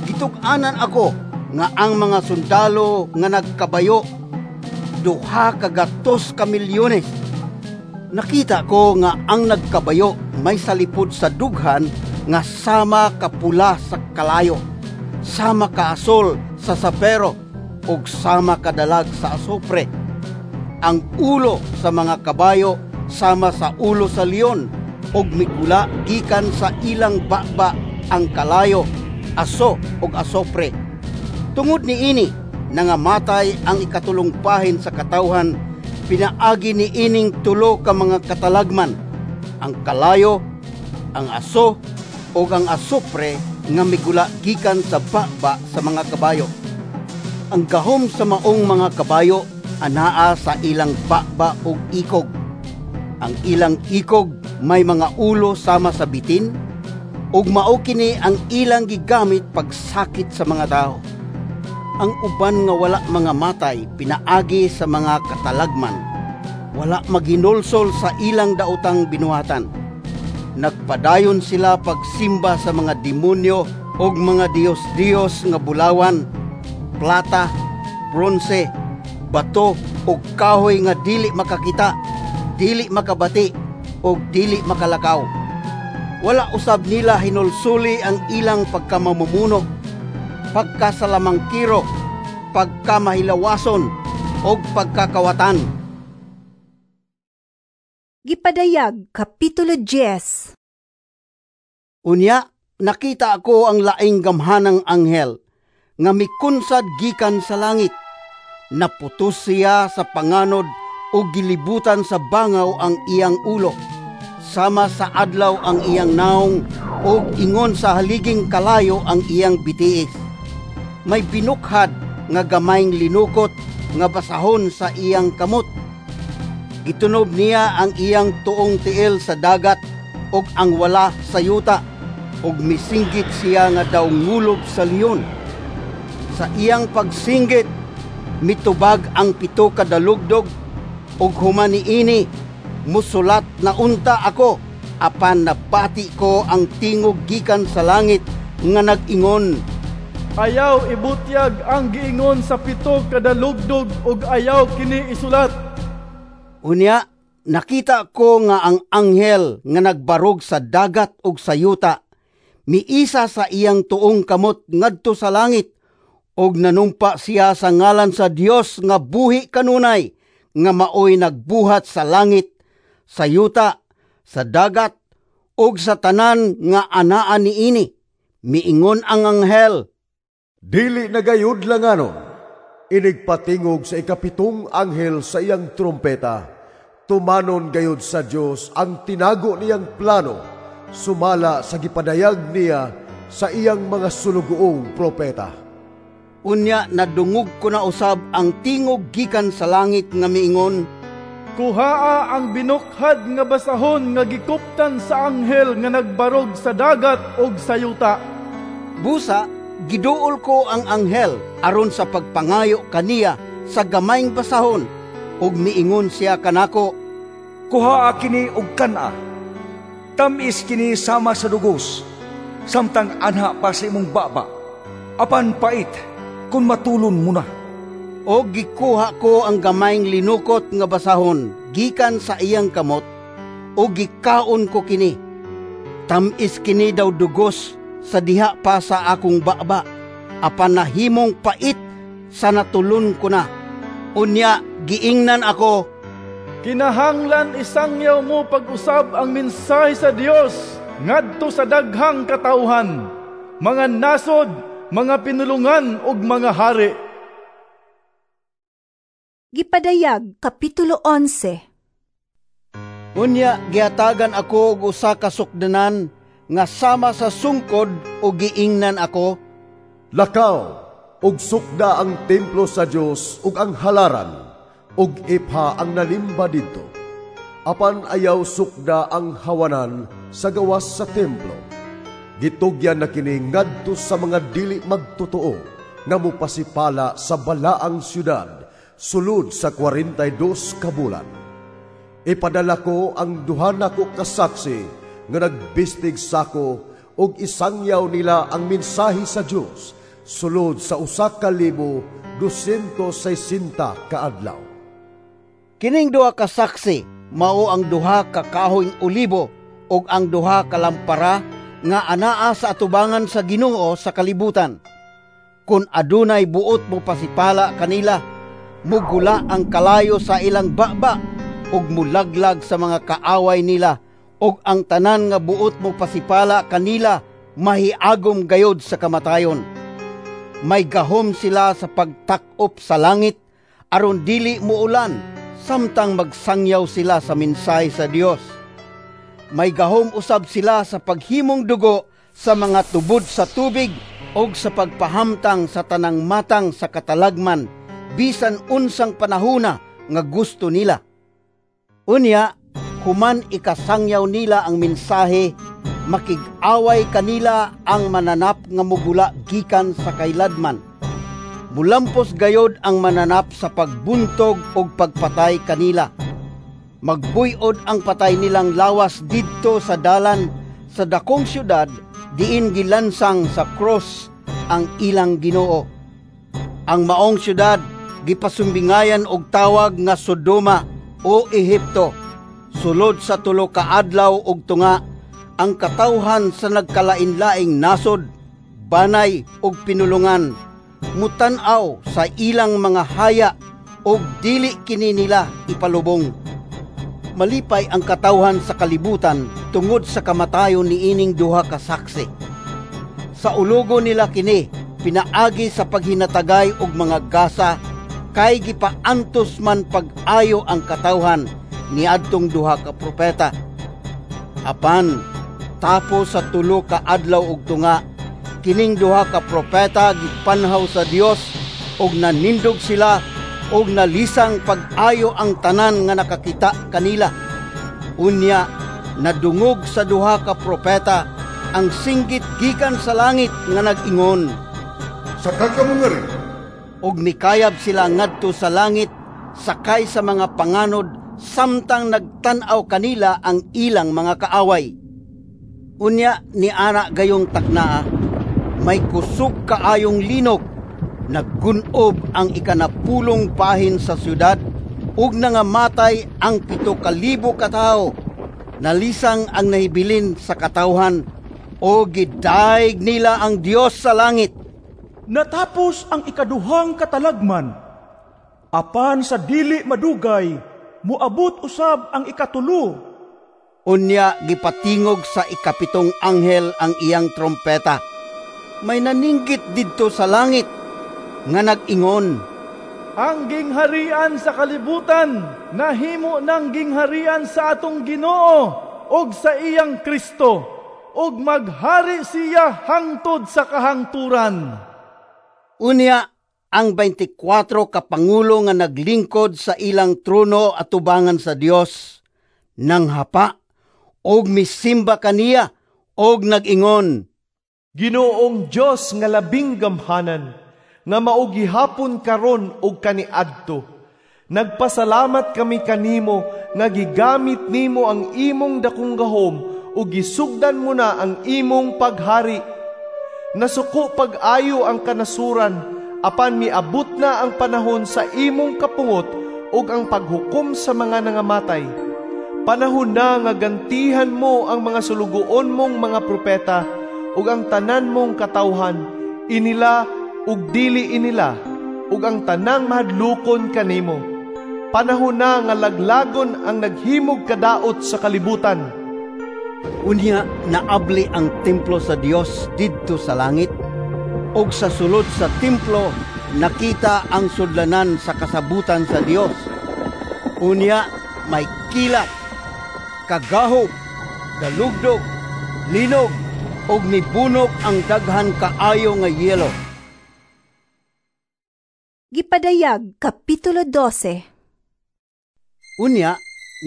Gitug-anan ako nga ang mga sundalo nga nagkabayo 200 ka milyones. Nakita ko nga ang nagkabayo may salipod sa dughan nga sama kapula sa kalayo, sama kaasol sa sapero, ug sama kadalag sa asupre. Ang ulo sa mga kabayo sama sa ulo sa leon, ug migula gikan sa ilang baba ang kalayo, aso ug asopre. Tungod niini nangamatay ang ikatulong bahin sa katawhan pinaagi ni ining 3 ka mga katalagman, ang kalayo, ang aso ug ang asupre nga migula gikan sa baba sa mga kabayo. Ang gahom sa maong mga kabayo anaa sa ilang baba ug ikog. Ang ilang ikog may mga ulo sama sa bitin, ug mao kini ang ilang gigamit pagsakit sa mga tao. Ang uban nga wala mga matay pinaagi sa mga katalagman, wala maginulsol sa ilang daotang binuhatan. Nagpadayon sila pagsimba sa mga demonyo ug mga diyos-diyos nga bulawan, plata, bronse, bato ug kahoy nga dili makakita, dili makabati ug dili makalakaw. Wala usab nila hinulsuli ang ilang pagkamamumuno, pagkasalamangkiro, pagkamahilawason ug pagkakawatan.
Gipadayag Kapitulo 10.
Unya, nakita ako ang laing gamhanang anghel nga mikunsad gikan sa langit. Naputos siya sa panganod ug gilibutan sa bangaw ang iyang ulo. Sama sa adlaw ang iyang naong ug ingon sa haliging kalayo ang iyang bitiis. May binukhad nga gamayng linukot nga basahon sa iyang kamot. Gitunob niya ang iyang tuong tiil sa dagat ug ang wala sa yuta, ug misinggit siya nga daw ngulob sa leon. Sa iyang pagsinggit, mitubag ang 7 ka dalugdog, ug human niini musulat na unta ako, apan nabati ko ang tingog gikan sa langit nga nag-ingon,
"Ayaw ibutyag ang giingon sa 7 ka dalugdog ug ayaw kini isulat."
Unya, nakita ko nga ang anghel nga nagbarog sa dagat ug sa yuta miisa sa iyang tuong kamot ngadto sa langit, ug nanumpa siya sa ngalan sa Dios nga buhi kanunay, nga maoy nagbuhat sa langit, sa yuta, sa dagat, ug sa tanan nga anaa niini. Miingon ang anghel,
"Dili na gayud langanon, inigpatingog sa 7 anghel sa iyang trompeta, tumanon gayud sa Dios ang tinago niyang plano, sumala sa gipadayag niya sa iyang mga sulugoong propeta."
Unya nadungog ko na usab ang tingog gikan sa langit nga miingon,
Kuhaa ang binukhad nga basahon nga gikuptan sa anghel nga nagbarog sa dagat ug sa yuta.
Busa, giduol ko ang anghel aron sa pagpangayo kaniya sa gamayng basahon, ug miingon siya kanako,
Kuhaa kini og kan-a. Tam-is kini sama sa dugos, samtang anha pa sa imong baba. Apan pait kun matulon mo na.
O gikuha ko ang gamayng linukot nga basahon gikan sa iyang kamot, o gikaon ko kini. Tam-is kini daw dugos sa diha pa sa akong baba, apan nahimong pait sa natulon ko na. Unya giingnan ako,
Kinahanglan isangyaw mo pag-usab ang mensahe sa Dios ngadto sa daghang katawhan, mga nasod, mga pinulungan ug mga hari.
Gipadayag Kapitulo 11.
Unya gihatagan ako og usa ka sukdanan nga sama sa sungkod ug giingnan ako,
Lakaw ug sukda ang templo sa Dios ug ang halaran ug ipha ang nalimba didto. Apan ayaw sukda ang hawanan sa gawas sa templo. Gitugyan na kini ngadto sa mga dili magtotoo nga mopasipala sa balaang syudad sulod sa 42 ka bulan. Ipadala ko ang duha nako ka saksi nga nagbistig sako ug isangyaw nila ang mensahe sa Dios sulod sa 1,260 ka adlaw.
Kining duha ka saksi mao ang duha ka kahoyng olibo ug ang duha ka lampara nga anaa sa atubangan sa Ginoo sa kalibutan. Kun adunay buot mo pasipala kanila, mugula ang kalayo sa ilang baba ug mulaglag sa mga kaaway nila, ug ang tanan nga buot mo pasipala kanila mahiagom gayod sa kamatayon. May gahom sila sa pagtak-op sa langit aron dili muulan samtang magsangyaw sila sa mensahe sa Dios. May gahom usab sila sa paghimong dugo sa mga tubod sa tubig ug sa pagpahamtang sa tanang matang sa katalagman bisan unsang panahona nga gusto nila. Unya, human ikasangyaw nila ang mensahe, makig-away kanila ang mananap nga mugula gikan sa kailadman. Mulampos gayod ang mananap sa pagbuntog ug pagpatay kanila. Magbuyod ang patay nilang lawas didto sa dalan sa dakong syudad diin gilansang sa cross ang ilang Ginoo. Ang maong syudad gipasumbingayan og tawag nga Sodoma o Ehipto. Sulod sa tulo ka adlaw og tunga ang katawhan sa nagkalain-laing nasod, banay ug pinulungan mutan-aw sa ilang mga haya ug dili kini nila ipalubong. Malipay ang katawhan sa kalibutan tungod sa kamatayon niining duha ka saksi. Sa ulugo nila kini pinaagi sa paghinatagay og mga gasa, kay gipaantos man pag-ayo ang katawhan niadtong duha ka propeta. Apan tapos sa tulo ka adlaw og tunga, kining duha ka propeta gipanhaw sa Dios og nanindog sila og nalisang pag-ayo ang tanan nga nakakita kanila. Unya nadungog sa duha ka propeta ang singgit gikan sa langit nga nag-ingon,
Saka kamo ngari!
Og mikayab sila ngadto sa langit sakay sa mga panganod samtang nagtan-aw kanila ang ilang mga kaaway. Unya ni ana gayong taknaa, may kusog kaayong linog, naggunob ang ikanapulong bahin sa syudad ug nangamatay ang 7,000 ka tawo. Nalisang ang nahibilin sa katawhan o gidaig nila ang Dios sa langit.
Natapos ang ikaduhang katalagman. Apan sa dili madugay, muabot usab ang ikatulo.
Unya gipatingog sa ikapitong anghel ang iyang trompeta. May naninggit didto sa langit nga nag-ingon,
Ang gingharian sa kalibutan nahimo ng gingharian sa atong Ginoo ug sa iyang Kristo, ug maghari siya hangtod sa kahangturan.
Unya Ang 24 ka pangulo nga naglingkod sa ilang trono atubangan sa Dios nanghapa og misimba kaniya og nag-ingon,
Ginoong Dios nga labing gamhanan, nga mao gihapon karon og kaniadto, nagpasalamat kami kanimo nga gigamit nimo ang imong dakong gahom ug gisugdan mo na ang imong paghari. Nasuko pag-ayo ang kanasuran, apan miabot na ang panahon sa imong kapungot ug ang paghukom sa mga nangamatay. Panahon na nga gantihan mo ang mga sulugoon mong mga propeta ug ang tanan mong katawhan, inila ug dili inila, ug ang tanang mahadlokon kanimo. Panahon na nga laglagon ang naghimog kadaot sa kalibutan.
Unya naabli ang templo sa Dios didto sa langit, ug sa sulod sa templo nakita ang sudlanan sa kasabutan sa Dios. Unya may kilat, kagahom, dalugdog, linog, ug mibunok ang daghan kaayo nga yelo.
Gipadayag Kapitulo 12.
Unya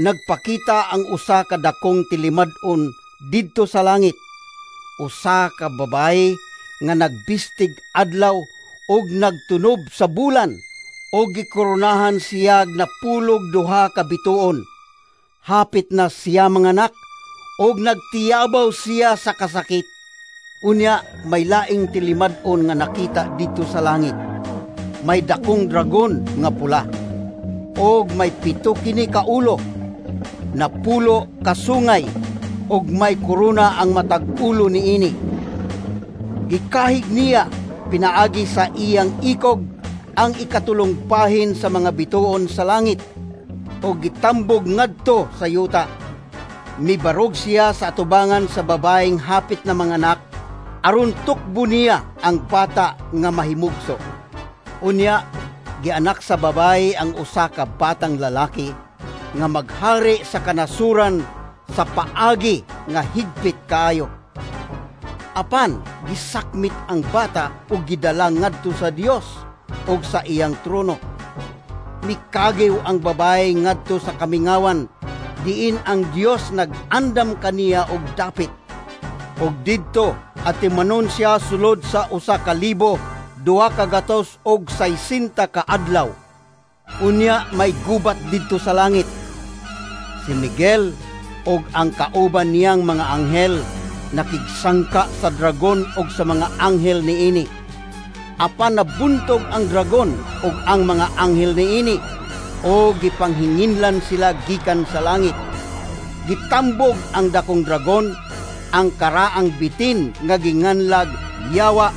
nagpakita ang usa ka dakong tilimad-on didto sa langit, usa ka babayi nga nagbistig adlaw ug nagtunob sa bulan, ug gikoronahan siya napulog duha ka bituon. Hapit na siya manganak ug nagtiyabaw siya sa kasakit. Unya may laing tilimad-on nga nakita didto sa langit. May dakong dragon nga pula, ug may 7 kini ka ulo, napulo kasungay, ug may korona ang matag ulo niini. Gikahig niya pinaagi sa iyang ikog ang ikatulong bahin sa mga bituon sa langit, ug gitambog ngadto sa yuta. Mibarog siya sa atubangan sa babaeng hapit na manganak, aron tukbo niya ang bata nga mahimugso. Unya gianak sa babae ang usa ka batang lalaki nga maghari sa kanasuran sa paagi nga higpit kaayo. Apan gisakmit ang bata ug gidala ngadto sa Dios ug sa iyang trono. Mikagiw ang babae ngadto sa kamingawan, diin ang Dios nag-andam kaniya og dapit. Ug didto atimanon siya sulod sa 1,260 ka adlaw. Unya may gubat didto sa langit. Si Miguel ug ang kauban niyang mga anghel nakigsangka sa dragon ug sa mga anghel niini. Apan nabuntog ang dragon ug ang mga anghel niini, o gipanghinginlan sila gikan sa langit. Gitambog ang dakong dragon, ang karaang bitin nga ginganlag Yawa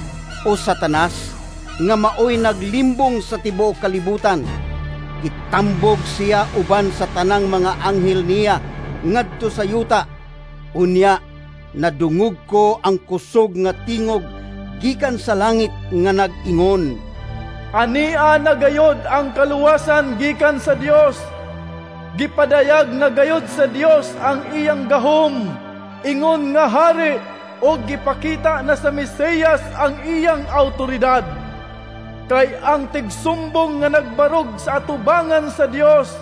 o Satanas, nga maoy naglimbong sa tibuok kalibutan. Gitambog siya uban sa tanang mga anghel niya ngadto sa yuta. Unya nadungog ko ang kusog nga tingog gikan sa langit nga nag-ingon,
Ania na gayod ang kaluwasan gikan sa Dios. Gipadayag na gayod sa Dios ang iyang gahom, ingon nga hari, og gipakita na sa Mesiyas ang iyang autoridad. Kay ang tigsumbong nga nagbarog sa atubangan sa Dios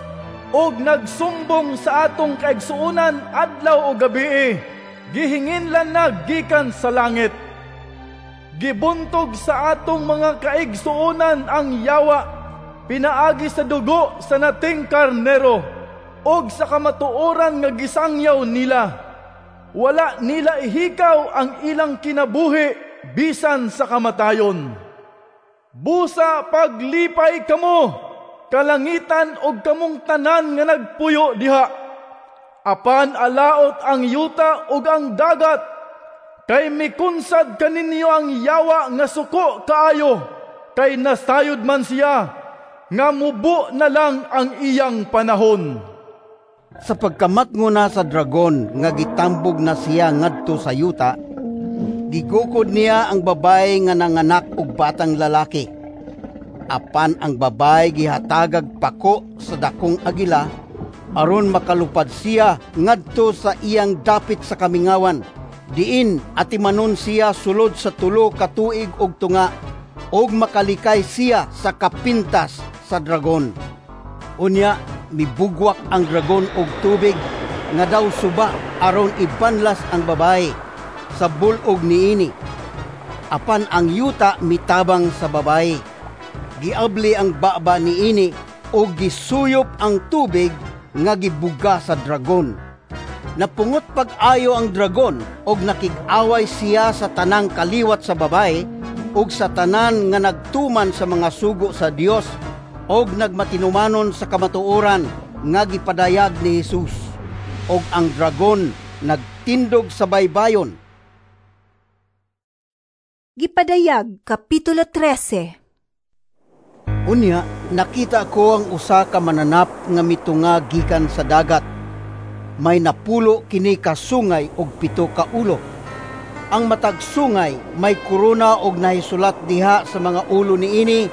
og nagsumbong sa atong kaigsuonan adlaw o gabii, gihinginlan na gikan sa langit. Gibuntog sa atong mga kaigsuonan ang yawa, pinaagi sa dugo sa nating karnero, og sa kamatuoran nga gisangyaw nila. Wala nila ihikaw ang ilang kinabuhi bisan sa kamatayon. Busa paglipay kamo, kalangitan og kamong tanan nga nagpuyo diha. Apan alaot ang yuta ug ang dagat, kay mikunsad kaninyo ang yawa nga suko kaayo, kay nasayod man siya, nga mubo na lang ang iyang panahon.
Sa pagkamatngo na sa dragon nga gitambog na siya ngadto sa yuta, gigukod niya ang babae nga nanganak og batang lalaki. Apan ang babae gihatagag pako sa dakong agila, aron makalupad siya ngadto sa iyang dapit sa kamingawan, diin atimanon siya sulod sa 3 ka tuig og tunga, ug makalikay siya sa kapintas sa dragon. Unya mibugwak ang dragon og tubig nga daw suba aron ibanlas ang babayi sa bul-og niini. Apan ang yuta mitabang sa babayi. Giabli ang baba niini ug gisuyop ang tubig nga gibuga sa dragon. Napungot pag-ayo ang dragon ug nakig-away siya sa tanang kaliwat sa babayi ug sa tanan nga nagtuman sa mga sugo sa Dios ug nagmatinumanon sa kamatuoran nga gipadayag ni Jesus. Ug ang dragon nagtindog sa baybayon.
Gipadayag, Kapitulo 13.
Unya, nakita ko ang usa ka mananap nga mitunga gikan sa dagat. May 10 kini ka sungay og 7 ka ulo. Ang matag sungay may korona og nahisulat diha sa mga ulo niini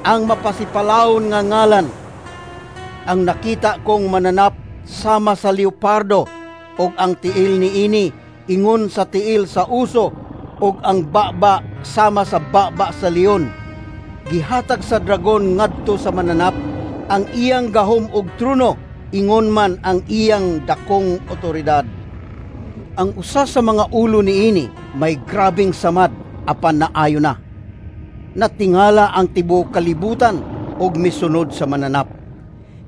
ang mapasipalawon nga ngalan. Ang nakita kong mananap sama sa leopardo, og ang tiil niini ingon sa tiil sa uso, og ang baba sama sa baba sa leon. Gihatag sa dragon ngadto sa mananap ang iyang gahom og trono, ingon man ang iyang dakong otoridad. Ang usa sa mga ulo niini may grabeng samad apan naayo na. Natingala ang tibuok kalibutan og misunod sa mananap.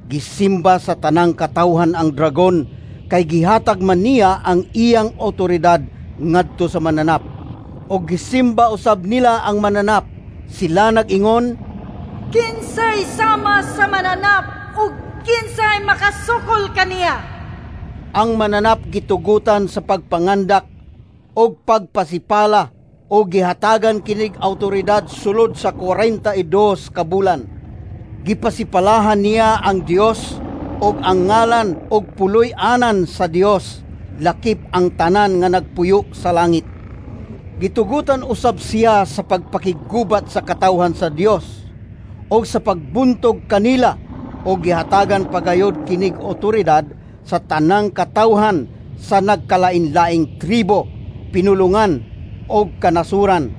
Gisimba sa tanang katawhan ang dragon kay gihatag man niya ang iyang otoridad ngadto sa mananap. Og gisimba usab nila ang mananap. Sila nag-ingon,
"Kinsay sama sa mananap ug kinsay makasukol kaniya?"
Ang mananap gitugutan sa pagpangandak og pagpasipala o gihatagan kinig autoridad sulod sa 42 ka bulan. Gipasipalahan niya ang Dios og ang ngalan og puloy-anan sa Dios, lakip ang tanan nga nagpuyo sa langit. Gitugutan usab siya sa pagpakiggubat sa katawhan sa Dios og sa pagbuntog kanila, og gihatagan pagayod kinig otoridad sa tanang katawhan sa nagkalain-laing tribo, pinulungan og kanasuran.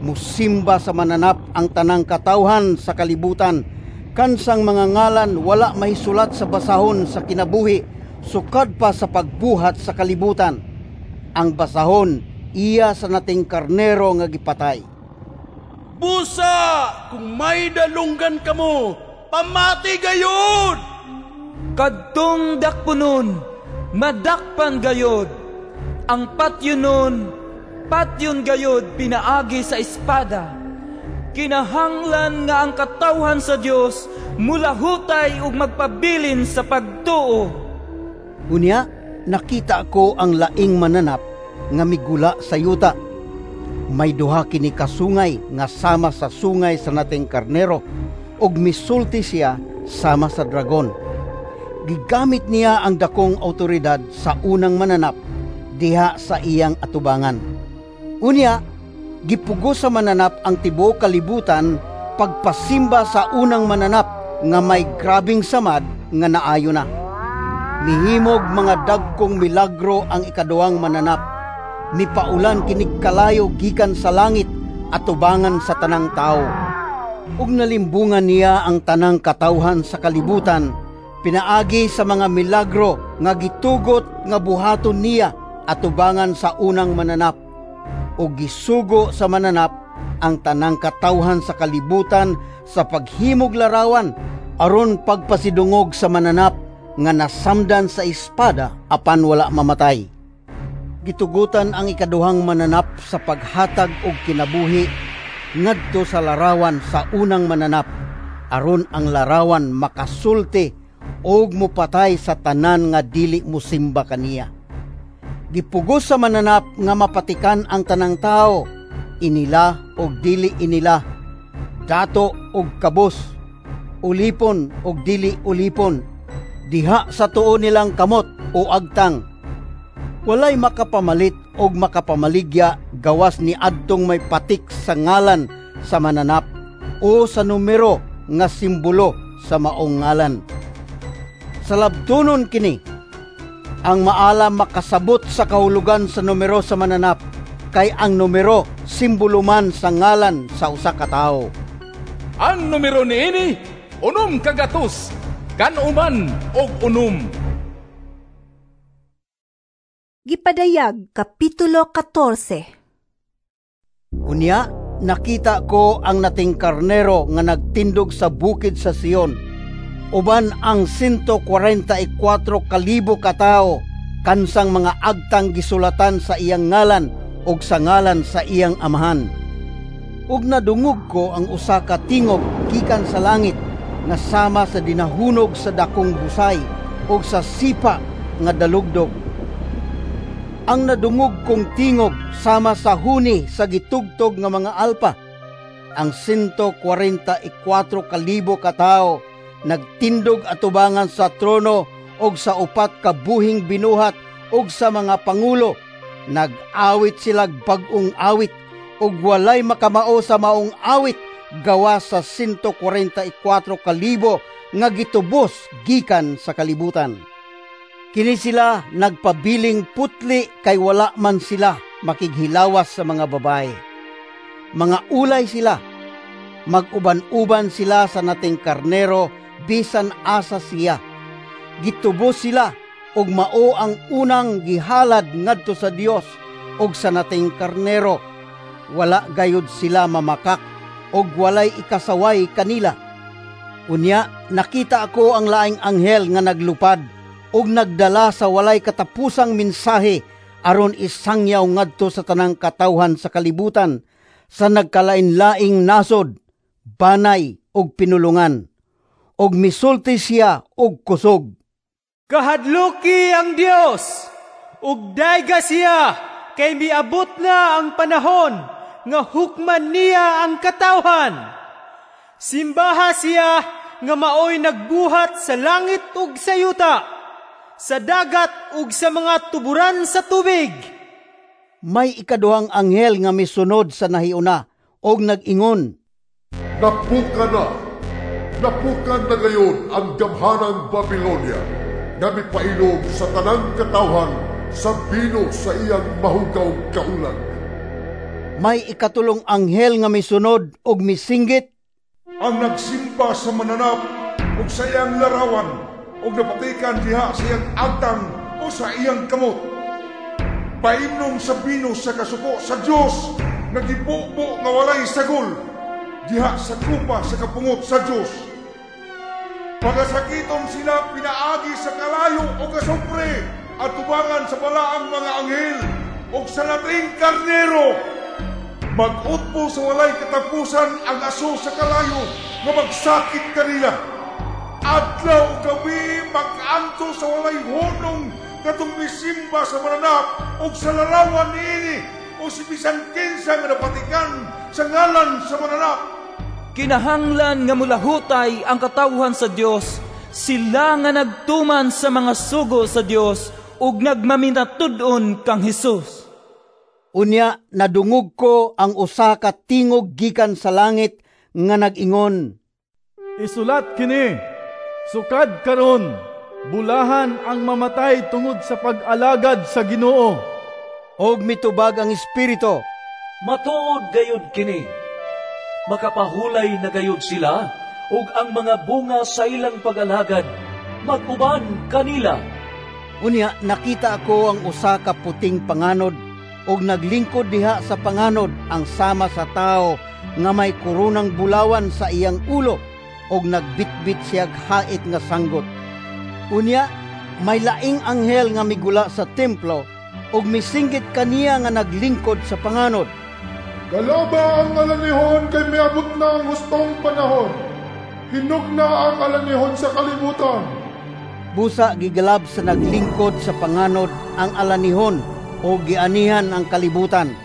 Musimba sa mananap ang tanang katawhan sa kalibutan, kansang mga ngalan wala mahisulat sa basahon sa kinabuhi sukad pa sa pagbuhat sa kalibutan. Ang basahon iya sa nating karnero nga gipatay.
Busa, kung may dalunggan kamo, pamati gayod!
Kadtong dakpunon, madakpan gayod. Ang patyonon, patyon gayod pinaagi sa espada. Kinahanglan nga ang katawhan sa Dios mulahutay ug magpabilin sa pagtuo.
Unya, nakita ko ang laing mananap nga migula sa yuta. May duha kini kasungay nga sama sa sungay sa nating karnero, ug misulti siya sama sa dragon. Gigamit niya ang dakong autoridad sa unang mananap diha sa iyang atubangan. Unya, gipugo sa mananap ang tibuok kalibutan pagpasimba sa unang mananap nga may grabeng samad nga naayo na. Mihimog mga dagkong milagro ang ikaduhang mananap. Mipaulan kinig kalayo gikan sa langit atubangan sa tanang tao. Ug nalimbungan niya ang tanang katawhan sa kalibutan pinaagi sa mga milagro nga gitugot nga buhaton niya atubangan sa unang mananap. Ug gisugo sa mananap ang tanang katawhan sa kalibutan sa paghimog larawan aron pagpasidungog sa mananap nga nasamdan sa espada apan wala mamatay. Gitugutan ang ikaduhang mananap sa paghatag og kinabuhi ngadto sa larawan sa unang mananap aron ang larawan makasulti og mopatay sa tanan nga dili mosimba kaniya. Gipugos sa mananap nga mapatikan ang tanang tao, inila og dili inila, dato og kabos, ulipon og dili ulipon, diha sa tuo nilang kamot o agtang. Walay makapamalit og makapamaligya gawas ni adtong may patik sa ngalan sa mananap o sa numero nga simbolo sa maong ngalan. Sa labtunon kini, ang maala makasabot sa kahulugan sa numero sa mananap, Kay ang numero simbolo man sa ngalan sa usa ka tawo.
Ang numero niini 996.
Gipadayag Kapitulo 14.
Unya, nakita ko ang nating karnero nga nagtindog sa bukid sa Sion. Uban ang 144,000 ka tawo kansang mga agtang gisulatan sa iyang ngalan ug sa ngalan sa iyang amahan. Ug nadungog ko ang usa ka tingog gikan sa langit nga sama sa dinahunog sa dakong busay ug sa sipa nga dalugdog. Ang nadungog kong tingog sama sa huni sa gitugtog nga mga alpa. Ang 144,000 ka tawo nagtindog atubangan sa trono og sa upat ka buhing binuhat og sa mga pangulo. Nag-awit silag bag-ong awit ug walay makamao sa maong awit gawa sa 144,000 nga gitubos gikan sa kalibutan. Kini sila nagpabiling putli kay wala man sila makighilawas sa mga babae. Mga ulay sila, mag-uban-uban sila sa nating karnero bisan asa siya. Gitubos sila ug mao ang unang gihalad ngadto sa Dios ug sa nating karnero. Wala gayud sila mamakak ug walay ikasaway kanila. Unya nakita ako ang laing anghel nga naglupad ug nagdala sa walay katapusang mensahe aron isangyaw ngadto sa tanang katawhan sa kalibutan sa nagkalain-laing nasod, banay ug pinulungan. Ug misulti siya og kusog.
Kahadluki ang Dios ug dayga siya kay miabot na ang panahon nga hukman niya ang katawhan. Simbaha siya nga maoy nagbuhat sa langit ug sa yuta, sa dagat ug sa mga tuburan sa tubig.
May ikaduhang anghel nga misunod sa nahiuna og nag-ingon,
Napukan na! Napukan na gayon ang gamhanang Babilonia nga mipailog sa tanang katawhan sa bino sa iyang mahugaw kaulag.
May ikatulong anghel nga misunod og misinggit,
Ang nagsimba sa mananap ug sa iyang larawan ug napatikan diha sa iyang agtang o sa iyang kamot, paimnom sa bino sa kasuko sa Dios nga gibubo nga walay sagol diha sa kupa sa kapungot sa Dios. Pagasakiton sila pinaagi sa kalayo o kasupre at tubangan sa balaang mga anghel o sa lating karnero. Mag-utbo sa walay katapusan ang aso sa kalayo nga magsakit kanila. Adlaw gabi mag-anto sa walay hunong katong misimba sa mananap o sa larawan niini o si bisan kinsa nga napatikan sa ngalan sa mananap.
Kinahanglan nga mulahutay ang katawhan sa Dios, sila nga nagtuman sa mga sugo sa Dios ug nagmaminatud-on kang Hesus.
Unya nadungog ko ang usa ka tingog gikan sa langit nga nag-ingon,
Isulat kini, sukad karon, bulahan ang mamatay tungod sa pag-alagad sa Ginoo.
Og mitubag ang Espiritu,
Matuod gayud kini. Makapahulay na gayud sila ug ang mga bunga sa ilang pag-alagad mag-uban kanila.
Unya nakita ako ang usa ka puting panganod ug naglingkod diha sa panganod ang sama sa tawo nga may koronang bulawan sa iyang ulo ug nagbitbit siyag hait nga sanggot. Unya may laing anghel nga migula sa templo ug misinggit kaniya nga naglingkod sa panganod,
Galaba ang alanihon kay miabot na ang hustong panahon. Hinog na ang alanihon sa kalibutan.
Busa gigalab sa naglingkod sa panganod ang alanihon o gianihan ang kalibutan.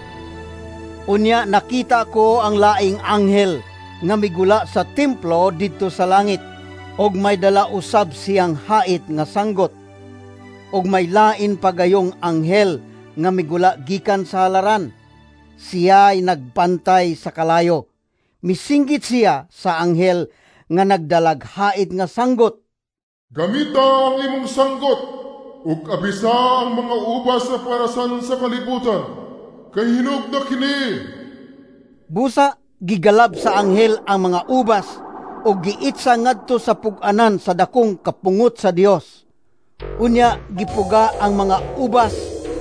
Unya nakita ko ang laing anghel nga migula sa templo didto sa langit og may dala usab siyang hait nga sanggot. Og may lain pagayong anghel nga migula gikan sa halaran. Siya ay nagbantay sa kalayo. Misinggit siya sa anghel nga nagdalag hait nga sanggot.
Gamita ang imong sanggot ug abisa ang mga ubas sa parasan sa kalibutan. kay hinog na kini.
Busa gigalab sa anghel ang mga ubas ug giitsa ngadto sa pug-anan sa dakong kapungot sa Dios. Unya gipuga ang mga ubas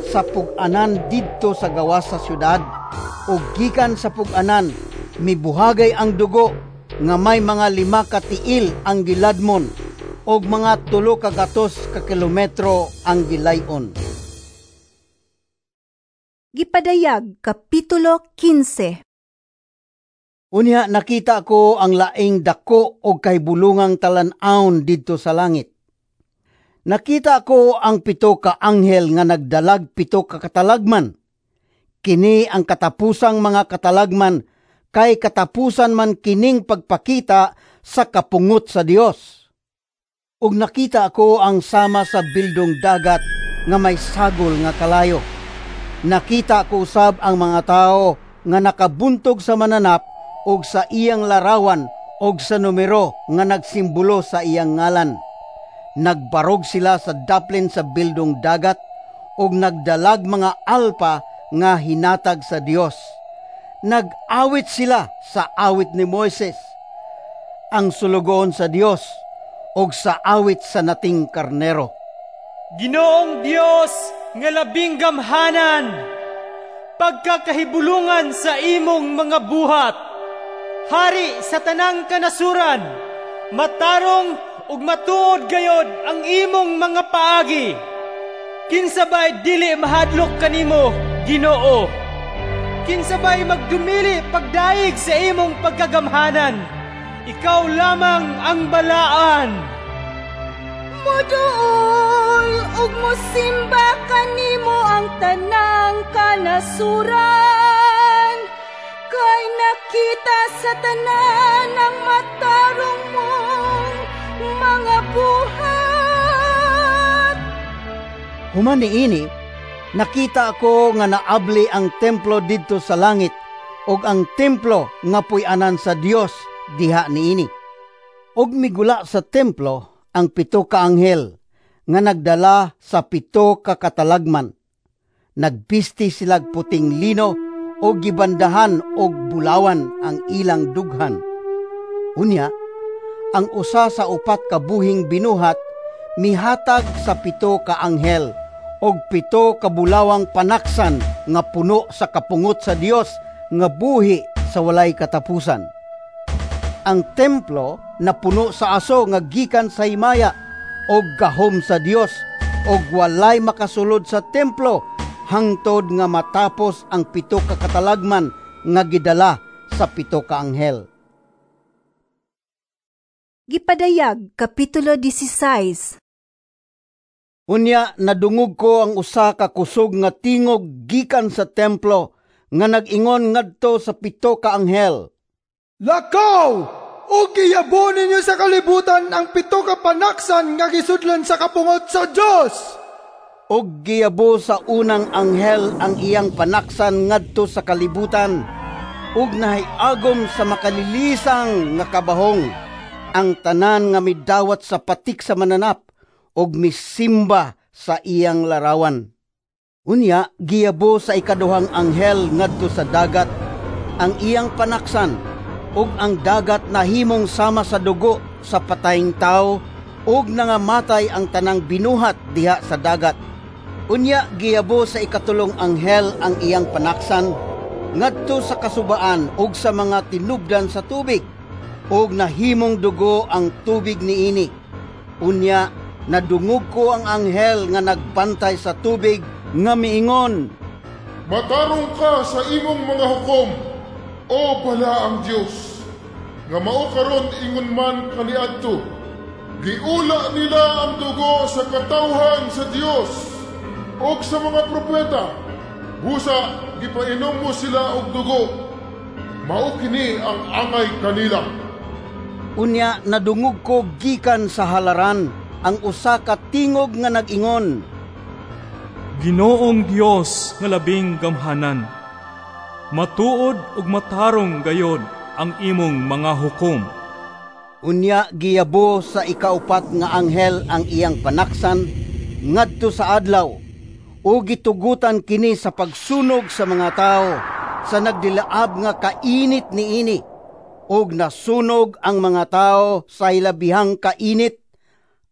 sa pug-anan didto sa gawas sa syudad, ug gikan sa pug-anan mibuhagay ang dugo nga may mga 5 ka tiil ang giladmon ug mga 300 ka kilometro ang gilay-on.
Gipadayag Kapitulo 15.
Unya nakita ko ang laing dako og kahibulungang talan-awon didto sa langit. Nakita ko ang 7 ka anghel nga nagdalag 7 ka katalagman. Kini ang katapusang mga katalagman, kay katapusan man kining pagpakita sa kapungot sa Dios. Ug nakita ko ang sama sa bildong dagat nga may sagol nga kalayo. Nakita ko usab ang mga tawo nga nakabuntog sa mananap og sa iyang larawan og sa numero nga nagsimbolo sa iyang ngalan. Nagbarog sila sa daplin sa bildong dagat og nagdalag mga alpa nga hinatag sa Dios. Nag-awit sila sa awit ni Moises, ang sulugoon sa Dios, og sa awit sa nating karnero.
Ginoong Dios nga labing gamhanan, pagkakahibulungan sa imong mga buhat, hari sa tanang kanasuran, matarong ug matuod gayod ang imong mga paagi. Kinsa bay dili mahadlok kanimo, Ginoo? Kinsa bay magdumili pagdaig sa imong pagkagamhanan? Ikaw lamang ang balaan.
Moduol ug mosimba kanimo ang tanang kanasuran, kay nakita sa tanan ang matarong mong mga buhat.
Human niini, nakita ako nga naabli ang templo didto sa langit, ug ang templo nga puy-anan sa Dios diha niini. Ug migula sa templo ang 7 ka anghel nga nagdala sa 7 ka katalagman. Nagbisti silag puting lino og gibandahan og bulawan ang ilang dughan. Unya, ang usa sa 4 ka buhing binuhat mihatag sa 7 ka anghel og 7 ka bulawang panaksan nga puno sa kapungot sa Dios nga buhi sa walay katapusan. Ang templo napuno sa aso nga gikan sa himaya og gahom sa Dios, og walay makasulod sa templo hangtod nga matapos ang 7 ka katalagman nga gidala sa 7 ka anghel.
Gipadayag Kapitulo 16.
Unya nadungog ko ang usa ka kusog nga tingog gikan sa templo nga nag-ingon ngadto sa 7 ka anghel.
Lakaw! Ug giyabon ninyo sa kalibutan ang 7 ka panaksan nga gisudlan sa kapungot sa Dios.
Ug giyabo sa unang anghel ang iyang panaksan ngadto sa kalibutan, ug nahiagom sa makalilisang nga kabahong ang tanan nga midawat sa patik sa mananap ug misimba sa iyang larawan. Unya giyabo sa ikaduhang anghel ngadto sa dagat ang iyang panaksan, ug ang dagat nahimong sama sa dugo sa patayng tawo, ug nangamatay ang tanang binuhat diha sa dagat. Unya giyabo sa ikatulong anghel ang iyang panaksan ngadto sa kasubaan ug sa mga tinubdan sa tubig, ug nahimong dugo ang tubig niini. Unya nadungog ko ang anghel nga nagbantay sa tubig nga miingon,
Matarong ka sa imong mga hukom, o balaang Dios, nga mao karon ingon man kaniadto. Giula nila ang dugo sa katawhan sa Dios ug sa mga propeta. Busa gipainom mo sila og dugo. Mao kini ang angay kanila.
Unya nadungog ko gikan sa halaran ang usa ka tingog nga nag-ingon,
Ginoong Dios nga labing gamhanan, matuod ug matarong gayod ang imong mga hukom.
Unya giyabo sa ikaupat nga anghel ang iyang panaksan ngadto sa adlaw, O gitugutan kini sa pagsunog sa mga tao sa nagdilaab nga kainit niini. Og nasunog ang mga tao sa hilabihang kainit,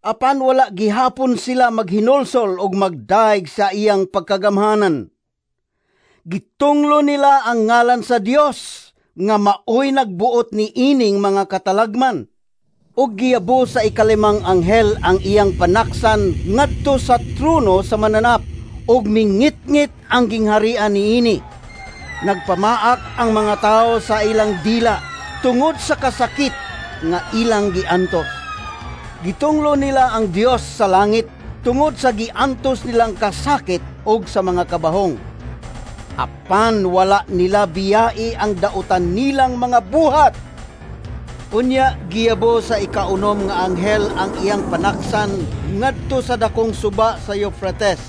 apan wala gihapon sila maghinulsol og magdaig sa iyang pagkagamhanan. Gitunglo nila ang ngalan sa Dios nga maoy nagbuot ni ining mga katalagman. Og giyabo sa ikalimang anghel ang iyang panaksan ngadto sa trono sa mananap, og mingitngit ang gingharian niini. Nagpamaak ang mga tao sa ilang dila tungod sa kasakit nga ilang giantos. Gitunglo nila ang Dios sa langit tungod sa giantos nilang kasakit og sa mga kabahong. Apan wala nila biyai ang dautan nilang mga buhat. Unya giyabo sa ikaunom nga anghel ang iyang panaksan ngadto sa dakong suba sa Euphrates.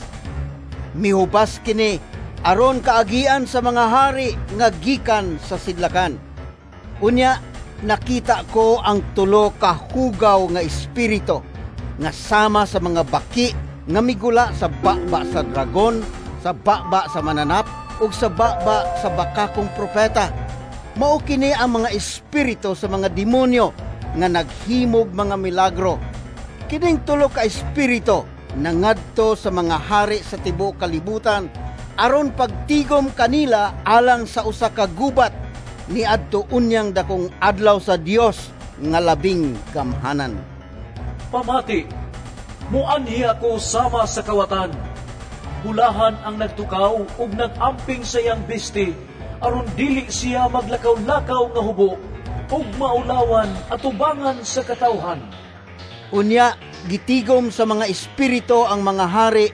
Mihubas kini aron kaagian sa mga hari nga gikan sa sidlakan. Unya nakita ko ang tulo ka hugaw nga espiritu nga sama sa mga baki nga migula sa baba sa dragon, sa baba sa mananap ug sa baba sa bakakong propeta. Mao kini ang mga espiritu sa mga demonyo nga naghimog mga milagro. Kining tulo ka espiritu nangadto sa mga hari sa tibuok kalibutan aron pagtigom kanila alang sa usa ka gubat niadto unyang dakong adlaw sa Dios nga labing gamhanan.
Pamati, muanhi ako sama sa kawatan. Hulahan ang nagtukaw ug nagamping sa iyang bisti aron dili siya maglakaw-lakaw nga hubo ug maulawan atubangan sa katawhan.
Unya gitigom sa mga espiritu ang mga hari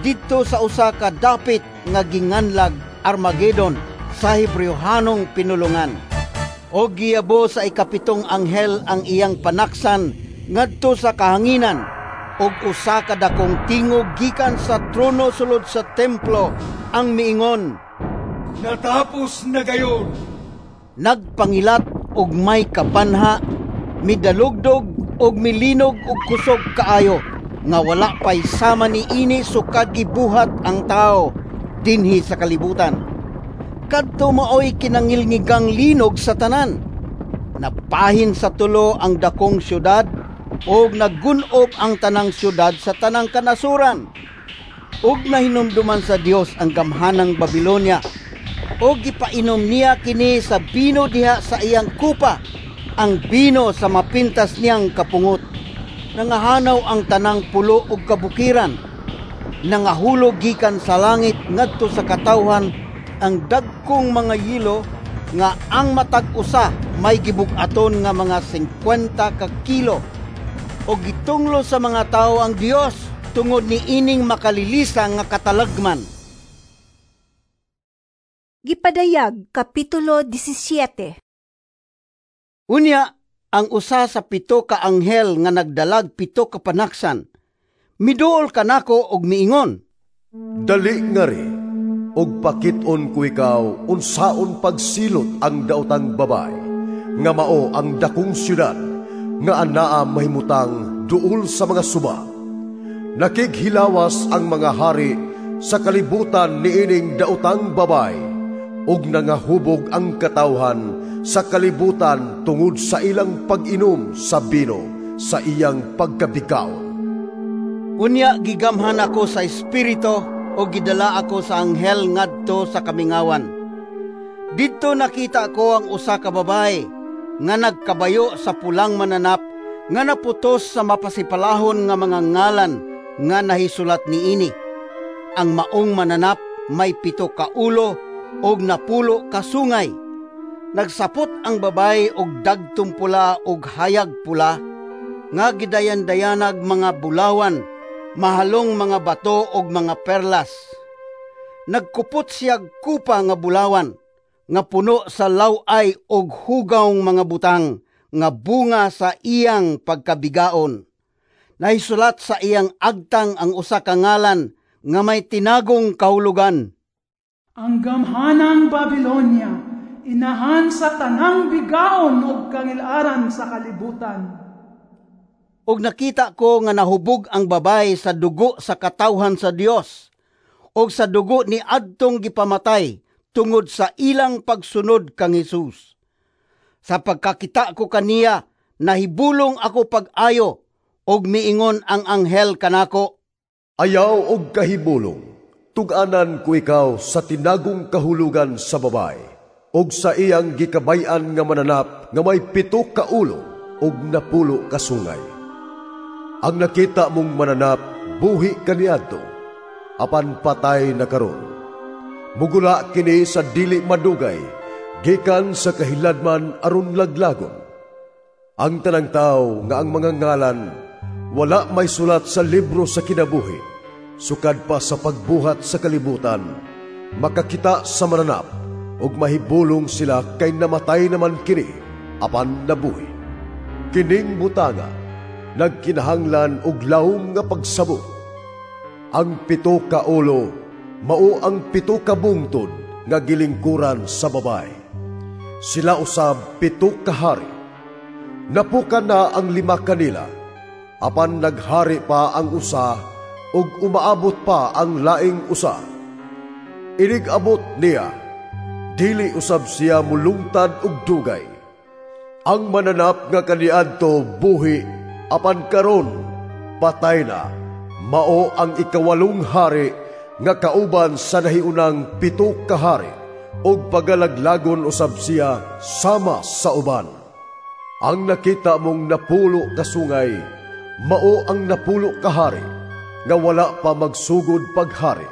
didto sa usa ka dapit nga ginganlag Armageddon sa Hebreohanong pinulungan. O giyabo sa ikapitong anghel ang iyang panaksan ngadto sa kahanginan, og usa ka dakong tingog gikan sa trono sulod sa templo ang miingon,
"Natapos na gayon!"
Nagpangilat og may kapanha, midalugdog og milinog og kusog kaayo, nga wala pay sama niini sukad gibuhat ang tao dinhi sa kalibutan. Kadto maoy kinangilngigang linog sa tanan. Napahin sa tulo ang dakong syudad og naggun-ob ang tanang syudad sa tanang kanasuran. Og nahinumduman sa Dios ang gamhanang Babilonia, og gipainom niya kini sa bino diha sa iyang kupa, ang bino sa mapintas niyang kapungot. Nangahanaw ang tanang pulo og kabukiran, nangahulog gikan sa langit ngadto sa katawhan ang dagkong mga yelo nga ang matag usa may gibug-aton nga mga 50 ka kilo. Og gitunglo sa mga tawo ang Dios tungod ni ining makalilisang nga katalagman.
Gipadayag Kapitulo 17.
Unya, ang usa sa 7 ka anghel nga nagdalag 7 ka panaksan, miduol kanako og miingon,
"Dali ngari, og pakit-on ko ikaw unsaon pagsilot ang daotang babay, nga mao ang dakong syudad, nga anaa mahimutang duol sa mga suba. Nakighilawas ang mga hari sa kalibutan niining daotang babay, ug nangahubog ang katawhan sa kalibutan tungod sa ilang pag-inom sa bino sa iyang pagkabigaon."
Unya gigamhan ako sa espiritu o gidala ako sa anghel ngadto sa kamingawan. Didto nakita ko ang usa ka babae nga nagkabayo sa pulang mananap nga naputos sa mapasipalahon nga mga ngalan nga nahisulat niini. Ang maong mananap may 7 ka ulo og 10 ka sungay. Nagsapot ang babae og dagtong pula og hayag pula nga gidayan-dayanag mga bulawan, mahalong mga bato og mga perlas. Nagkupot siyag kupa nga bulawan nga puno sa laway og hugawng mga butang nga bunga sa iyang pagkabigaon. Nahisulat sa iyang agtang ang usa ka ngalan nga may tinagong kahulugan:
Ang gamhanang Babilonia, inahan sa tanang bigaon og kangilaran sa kalibutan.
Og nakita ko nga nahubog ang babae sa dugo sa katawhan sa Dios, ug sa dugo ni adtong gipamatay tungod sa ilang pagsunod kang Hesus. Sa pagkakita ko kaniya, nahibulong ako pag-ayo, ug miingon ang anghel kanako,
"Ayaw og kahibulong, tug-anan ko ikaw sa tinagong kahulugan sa babay, ug sa iyang gikabay-an nga mananap nga may 7 ka ulo ug 10 ka sungay. Ang nakita mong mananap buhi kaniadto, apan patay na karon. Mugula kini sa dili madugay, gikan sa kahiladman aron laglagon. Ang tanang tawo nga ang mga ngalan wala may sulat sa libro sa kinabuhi, sukad pa sa pagbuhat sa kalibutan, makakita sa mananap, ug mahibulong sila kay namatay naman kini, apan nabuhi. Kining butanga, nagkinahanglan og lawom nga pagsabot. Ang 7 ka ulo, mao ang 7 ka bungtod nga gilingkuran sa babay. Sila usab 7 ka hari. Napukan na ang 5 kanila, apan naghari pa ang usa, ug umaabot pa ang laing usa. Inig-abot niya, dili usab siya mulungtad og dugay. Ang mananap nga kaniadto buhi, apan karon patay na, mao ang 8 hari nga kauban sa nahiunang 7 ka hari, ug pagalaglagon usab siya sama sa uban. Ang nakita mong 10 ka sungay, mao ang 10 ka hari, nga wala pa magsugod paghari.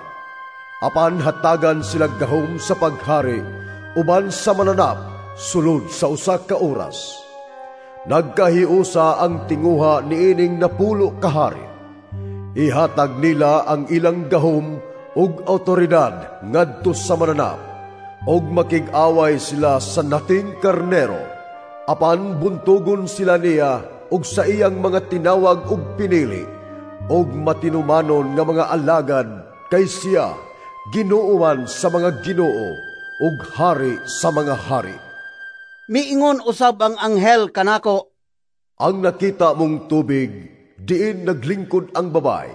Apan hatagan sila gahom sa paghari, uban sa mananap, sulod sa usa ka oras. Nagkahiusa ang tinguha niining 10 ka hari. Ihatag nila ang ilang gahom ug awtoridad ngadto sa mananap, ug makig-away sila sa nating karnero. Apan buntugon sila niya ug sa iyang mga tinawag ug pinili, ug matinumanon nga mga alagad kay siya Ginoo man sa mga ginoo ug hari sa mga hari."
Miingon usab ang anghel kanako,
"Ang nakita mong tubig diin naglingkod ang babay,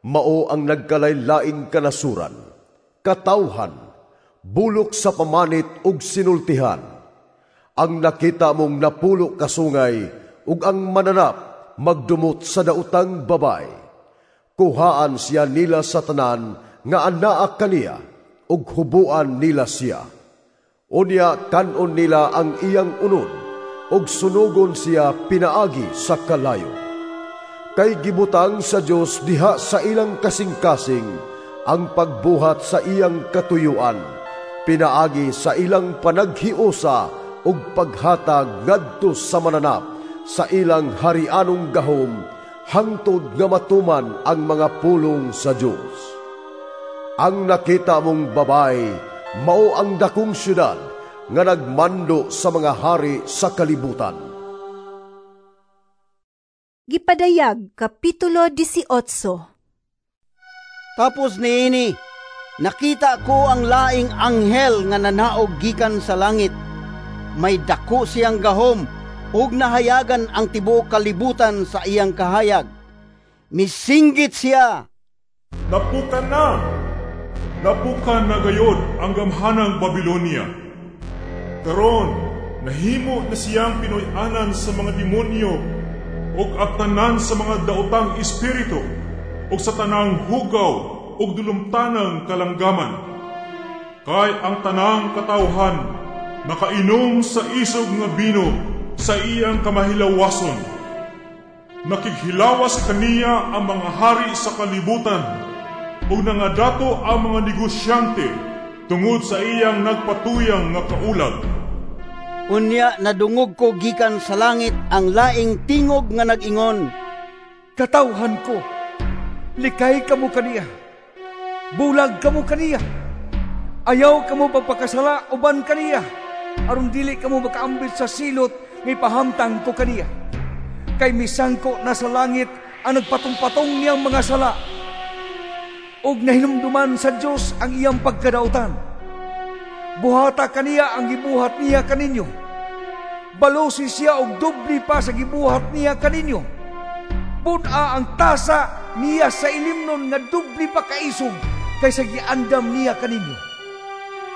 mao ang nagkalaylaing kanasuran, katawhan, bulok sa pamanit ug sinultihan. Ang nakita mong 10 ka sungay ug ang mananap magdumot sa daotang babay. Kuhaan siya nila sa tanan nga anaa kaniya ug hubuan nila siya. Unya kan-on nila ang iyang unod ug sunugon siya pinaagi sa kalayo. Kay gibutang sa Dios diha sa ilang kasing-kasing ang pagbuhat sa iyang katuyuan, pinaagi sa ilang panaghiusa ug paghatag ngadto sa mananap sa ilang harianong gahom, hangtod nga matuman ang mga pulong sa Dios. Ang nakita mong babay mao ang dakong syudad nga nagmando sa mga hari sa kalibutan."
Gipadayag, Kapitulo 18.
Tapos niini, nakita ko ang laing anghel nga nanaog gikan sa langit. May dako siyang gahom ug nahayagan ang tibuok kalibutan sa iyang kahayag. Misinggit siya,
"Napukan na! Napukan na gayod ang gamhanang Babilonia. Karon, nahimo na siyang pinuy-anan sa mga demonyo ug abtanan sa mga daotang espiritu ug sa tanang hugaw ug dulumtanang kalanggaman. Kay ang tanang katawhan nakainom sa isog nga bino sa iyang kamahilawason. Nakighilawas kaniya ang mga hari sa kalibutan ug nangadato ang mga negosyante tungod sa iyang nagpatuyang nga kaulag."
Unya nadungog ko gikan sa langit ang laing tingog nga nag-ingon,
"Katawhan ko, likay kamo kaniya, bulag kamo kaniya, ayaw kamo pagpakasala uban kaniya, aron dili kamo makaambit sa silot nga ipahamtang ko kaniya. Kay misangko na sa langit ang nagpatong-patong niyang mga sala, ug nahinumduman sa Dios ang iyang pagkadautan. Buhata kaniya ang gibuhat niya kaninyo. Balusi siya og doble pa sa gibuhat niya kaninyo. Bun-a ang tasa niya sa ilimnon nga doble pa kaisog kaysa giandam niya kaninyo.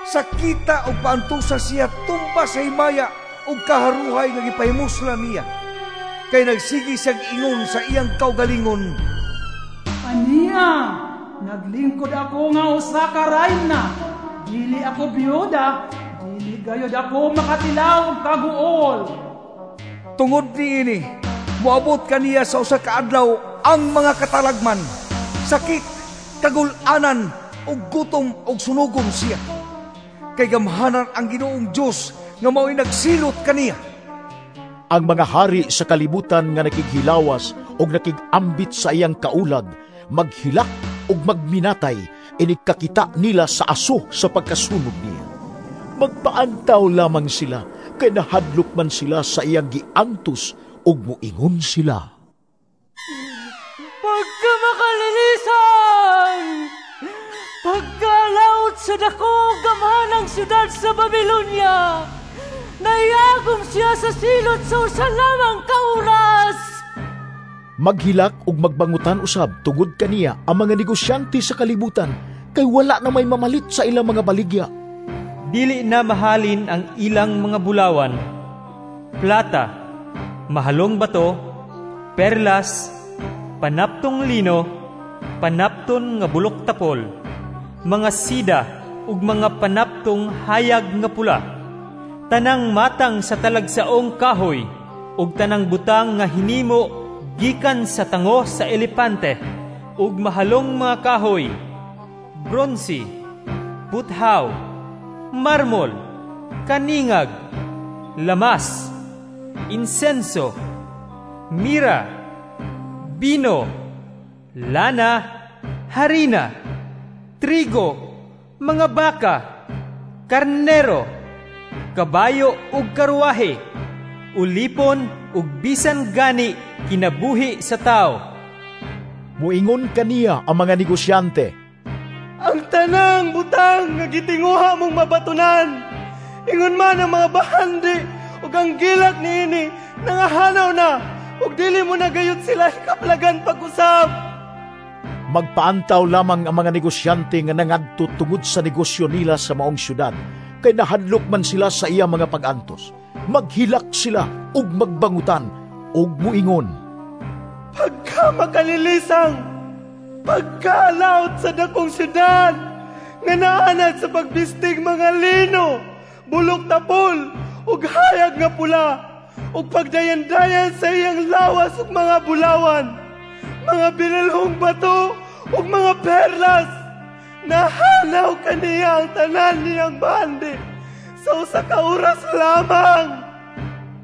Sakita og paantusa siya tumba sa himaya ug kaharuhay nga gipahimuslan niya. Kay nagsigi siyang ingon sa iyang kaugalingon,
Aniya, naglingkod ako nga usa ka rayna. Dili ako biyuda, dili gayod ako makatilaw og kaguol.
Tungod niini, moabot kaniya sa usa ka adlaw ang mga katalagman, sakit, kagul-anan, ug gutom ug sunugon siya. Kay gamhanan ang Ginoong Dios nga mao'y nagsilot kaniya.
Ang mga hari sa kalibutan nga nakighilawas ug nakig-ambit sa iyang kaulag, maghilak ug magminatay, inig kakita nila sa aso sa pagkasunog niya. Magpaantaw lamang sila, kay nahadlok man sila sa iyang giantos ug moingon sila.
Pagkamakalilisan! Pagkalaot sa dako gamhanang syudad sa Babilonia! Naiagom siya sa silot sa usa lamang ka oras!
Maghilak ug magbangutan usab tungod kaniya ang mga negosyante sa kalibutan, kay wala na may mamalit sa ilang mga baligya.
Dili na mahalin ang ilang mga bulawan, plata, mahalong bato, perlas, panaptong lino, panapton nga bulok tapol, mga sida ug mga panaptong hayag nga pula, tanang matang sa talagsaong kahoy ug tanang butang nga hinimo gikan sa tango sa elepante ug mahalong mga kahoy, bronse, puthaw, marmol, kaningag, lamas, insenso, mira, bino, lana, harina, trigo, mga baka, karnero, kabayo ug karwahe, ulipon ug bisan gani kinabuhi sa tao.
Muingon kaniya ang mga negosyante,
Ang tanang butang nga gitinguha mong mabatunan, ingon man ang mga bahandi ug ang gilak niini nangahanaw na, ug dili mo na gayud sila hikaplagan pag-usab.
Magpaantaw lamang ang mga negosyante nga nangadto tungod sa negosyo nila sa maong syudad, kay nahadlok man sila sa iya mga pag-antos. Maghilak sila ug magbangutan ug muingon,
Pagka makalilisang, pagkalaot sa dakong syudad, nga naanad sa pagbistig mga lino, bulok tapol, ug hayag nga pula, ug pagdayan-dayan sa iyang lawas ug mga bulawan, mga binilhong bato ug mga perlas, nahanaw kaniya ang tanan niyang bandi sa usa ka oras lamang.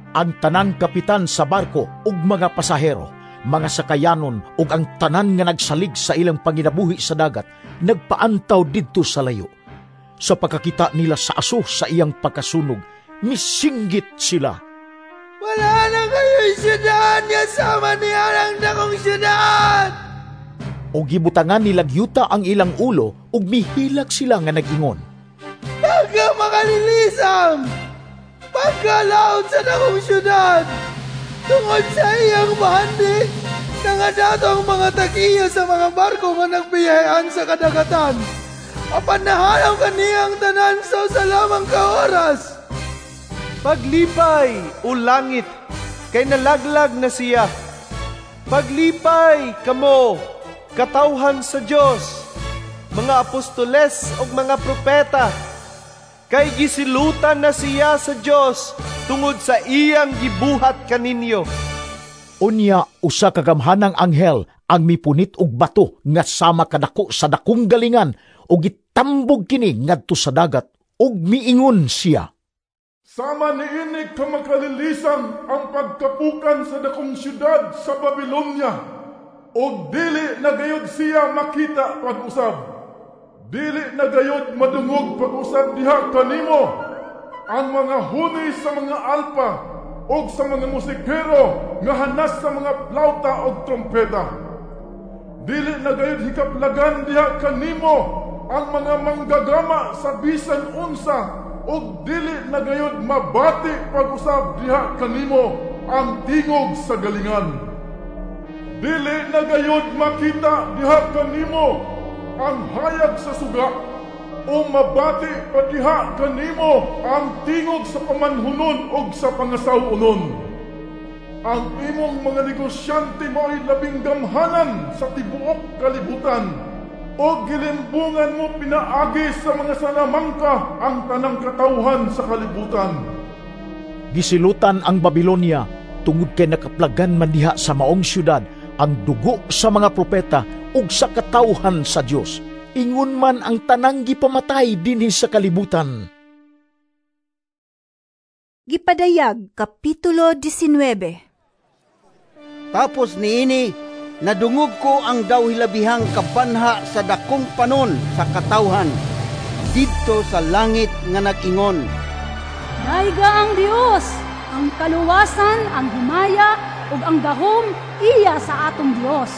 Ang tanang kapitan sa barko ug mga pasahero, mga sakayanon ug ang tanan nga nagsalig sa ilang panginabuhi sa dagat, nagpaantaw didto sa layo. Sa pagkakita nila sa aso sa iyang pagkasunog, misinggit sila.
Wala na kayo'y syudad nga sama niya ang dakong syudad!
O gibutangan nila gyuta ang ilang ulo ug mihilak sila nga nag-ingon.
Pagka makalilisang, pagkalaot sa dakong syudad, tungod sa iyang bahandi, nangadato ang mga tag-iya sa mga barko nga nagbiyahean sa kadagatan. Apan nahanaw kaniyang tanan sa usa lamang ka oras.
Paglipay, o langit, kay nalaglag na siya. Paglipay kamo, katawhan sa Dios, mga apostoles ug mga propeta, kay gisilutan na siya sa Dios tungod sa iyang gibuhat kaninyo.
Unya usa ka gamhanang anghel ang mipunit og bato nga sama kadako sa dakong galingan ug gitambog kini ngadto sa dagat ug miingon siya.
Sama niini ka makalilisan ang pagkapukan sa dakong syudad sa Babilonia, ug dili na gayud siya makita pag-usab. Dili na gayud madungog pag-usab diha kanimo ang mga huni sa mga alpa ug sa mga musikero nga hanas sa mga plauta ug trompeta. Dili na gayud hikaplagan diha kanimo ang mga manggagama sa bisan unsa, ug dili na gayud mabati pag-usab diha kanimo ang tingog sa galingan. Dili na gayud makita diha kanimo ang hayag sa suga, o mabati pa diha kanimo ang tingog sa pamanhunon og sa pangasaw-onon. Ang imong mga negosyante mao'y labing gamhanan sa tibuok kalibutan, o gilimbungan mo pinaagi sa mga salamangka ang tanang katawhan sa kalibutan.
Gisilutan ang Babilonia tungod kay nakaplagan man diha sa maong syudad ang dugo sa mga propeta ug sa katawhan sa Dios. Ingon man ang tanang gipamatay dinhi sa kalibutan.
Gipadayag, Kapitulo 19.
Tapos niini, nadungog ko ang daw hilabihang kabanha sa dakong panon sa katawhan didto sa langit nga nag-ingon,
Dayga ang Dios, ang kaluwasan, ang himaya ug ang gahom iya sa atong Dios.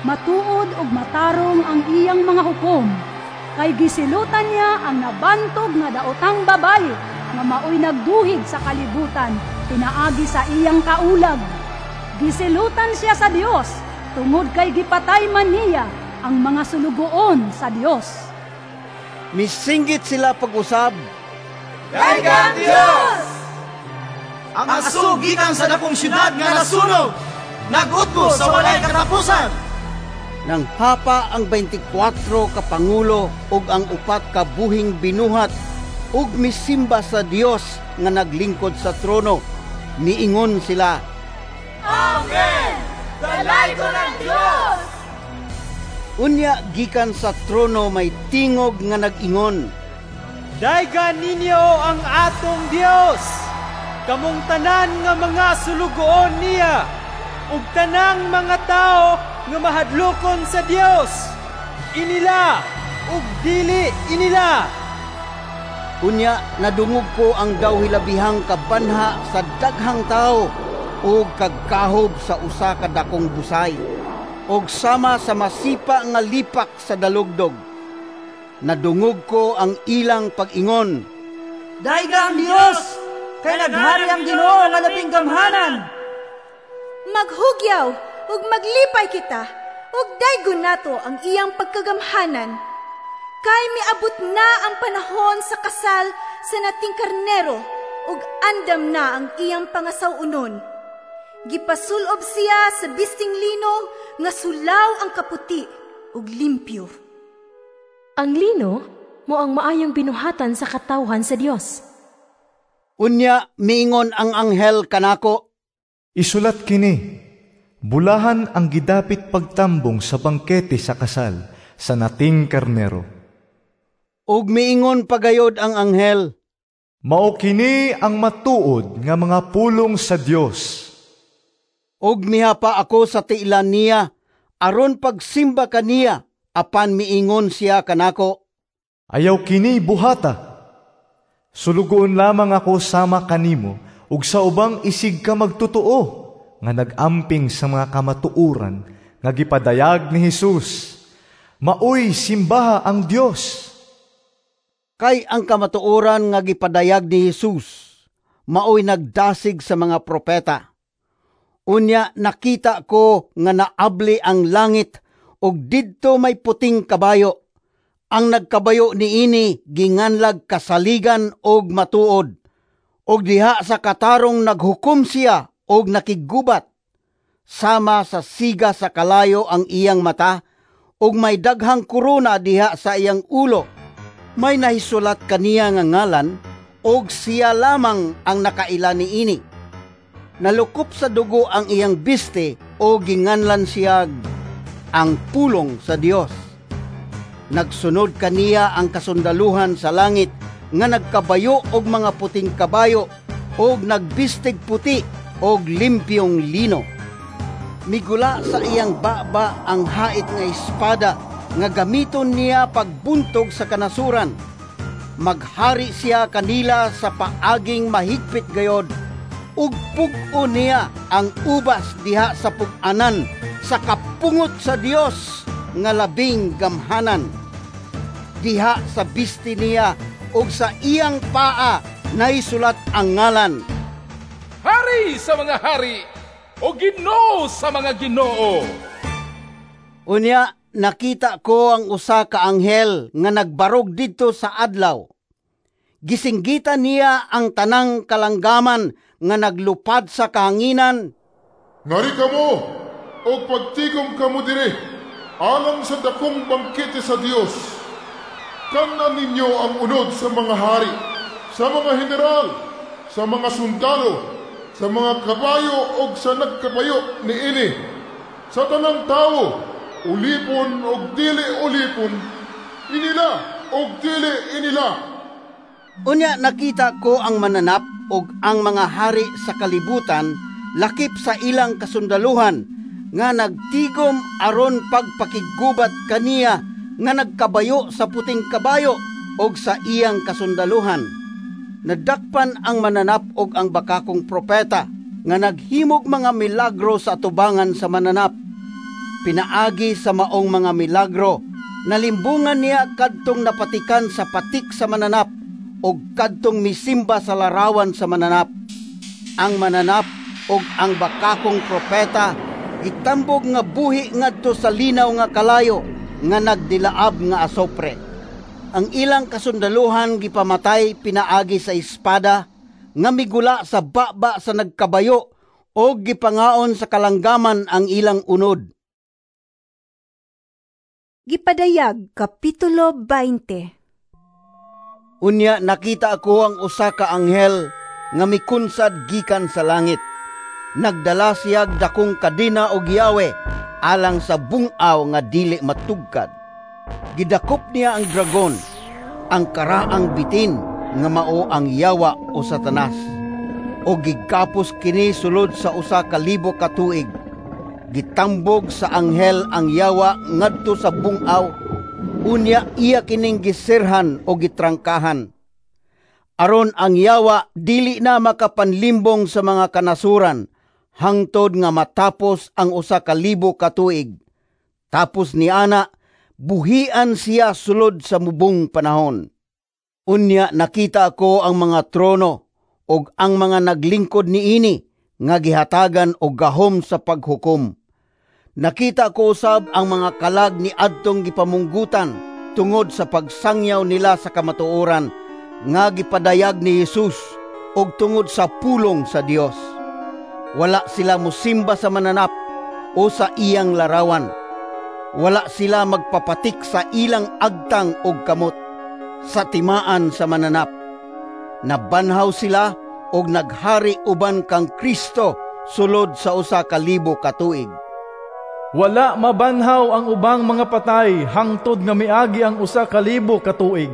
Matuod ug matarong ang iyang mga hukom, kay gisilutan niya ang nabantog nga daotang babayi nga maoy nagduhig sa kalibutan pinaagi sa iyang kaulag. Gisilutan siya sa Dios tungod kay gipatay man niya ang mga sulugoon sa Dios.
Misinggit sila pag-usab,
Dayga ang Dios! Ang aso gikan sa dakong syudad nga nasunog, nag-utbo sa walay katapusan.
Nang hapa ang 24 ka pangulo ug ang 4 ka buhing binuhat ug misimba sa Dios nga naglingkod sa trono. Miingon sila,
Amen! Dalaygon ang Dios!
Unya gikan sa trono may tingog nga nag-ingon,
Daygan ninyo ang atong Dios, kamong tanan nga mga sulugoon niya, ug tanang mga tao nga mahadlokon sa Dios, inila ug dili inila.
Unya nadungog ko ang daw hilabihang kabanha sa daghang tao ug kagkahob sa usa ka dakong busay, ug sama sa masipa nga lipak sa dalugdog. Nadungog ko ang ilang pag-ingon,
Dayga ang Dios, kay naghari ang Ginoo nga labing gamhanan.
Maghugyaw ug maglipay kita, ug daygon nato ang iyang pagkagamhanan. Kay miabot na ang panahon sa kasal sa nating karnero, ug andam na ang iyang pangasaw-unon. Gipasulob siya sa bisting lino nga sulaw ang kaputi ug limpyo.
Ang lino mo ang maayong binuhatan sa katawhan sa Dios.
Unya miingon ang anghel kanako,
Isulat kini, bulahan ang gidapit pagtambong sa bangkete sa kasal sa nating karnero.
Ug miingon pagayod ang anghel,
Mao kini ang matuod nga mga pulong sa Dios.
Ug mihapa ako sa tiilan niya, aron pagsimba kaniya, apan miingon siya kanako,
Ayaw kini buhata. Sulugoon lamang ako sama kanimo ug sa ubang isig ka magtotoo nga nag-amping sa mga kamatuoran nga gipadayag ni Hesus. Maoy simbaha ang Dios.
Kay ang kamatuoran nga gipadayag ni Hesus maoy nagdasig sa mga propeta. Unya nakita ko nga naabli ang langit ug didto may puting kabayo. Ang nagkabayo niini ginganlag kasaligan og matuod. Og diha sa katarong naghukom siya og nakiggubat. Sama sa siga sa kalayo ang iyang mata, ug may daghang korona diha sa iyang ulo. May nahisulat kaniya nga ngalan, og siya lamang ang nakaila niini. Nalukop sa dugo ang iyang biste o ginganlan siya ang pulong sa Dios. Nagsunod kaniya ang kasundaluhan sa langit nga nagkabayo og mga puting kabayo og nagbistig puti og limpyong lino. Migula sa iyang baba ang hait nga espada nga gamiton niya pagbuntog sa kanasuran. Maghari siya kanila sa paaging mahigpit gayod, ug pug-o niya ang ubas diha sa pug-anan sa kapungot sa Dios nga labing gamhanan. Diha sa bisti niya ug sa iyang paa naisulat ang ngalan,
Hari sa mga hari o Ginoo sa mga ginoo.
Unya nakita ko ang usa ka anghel nga nagbarog didto sa adlaw. Gisinggitan niya ang tanang kalanggaman nga naglupad sa kahanginan.
Ngari kamo, og pagtigom kamo diri, alang sa dakong bangkete sa Dios. Kanan ninyo ang unod sa mga hari, sa mga general, sa mga sundalo, sa mga kabayo og sa nagkabayo niini, sa tanang tawo, ulipon og dili ulipon, inila og dili inila.
Unya nakita ko ang mananap og ang mga hari sa kalibutan lakip sa ilang kasundaluhan nga nagtigom aron pagpakiggubat kaniya nga nagkabayo sa puting kabayo og sa iyang kasundaluhan. Nadakpan ang mananap og ang bakakong propeta nga naghimog mga milagro sa atubangan sa mananap. Pinaagi sa maong mga milagro, nalimbungan niya kadtong napatikan sa patik sa mananap og kadtong misimba sa larawan sa mananap. Ang mananap og ang bakakong propeta gitambog nga buhi ngadto sa linaw nga kalayo nga nagdilaab nga asopre. Ang ilang kasundaluhan gipamatay pinaagi sa espada nga migula sa baba sa nagkabayo og gipangaon sa kalanggaman ang ilang unod.
Gipadayag Kapitulo 20.
Unya nakita ako ang usa ka anghel nga mikunsad gikan sa langit. Nagdala siya dakong kadena og yawe alang sa bungaw nga dili matugkad. Gidakop niya ang dragon, ang karaang bitin nga mao ang yawa o Satanas, o gigapos kini sulod sa 1,000 ka tuig. Gitambog sa anghel ang yawa ngadto sa bungaw, unya iya kining gisirhan o gitrangkahan. Aron ang yawa dili na makapanlimbong sa mga kanasuran hangtod nga matapos ang 1,000 ka tuig. Tapos niana, buhian siya sulod sa mubong panahon. Unya nakita ko ang mga trono og ang mga naglingkod niini nga gihatagan og gahom sa paghukom. Nakita ko usab ang mga kalag ni adtong gipamunggutan tungod sa pagsangyaw nila sa kamatuoran nga gipadayag ni Jesus og tungod sa pulong sa Dios. Wala sila musimba sa mananap o sa iyang larawan. Wala sila magpapatik sa ilang agtang og kamot sa timaan sa mananap. Nabanhaw sila og naghari uban kang Kristo sulod sa 1,000 ka tuig.
Wala mabanhaw ang ubang mga patay hangtod nga miagi ang 1,000 ka tuig.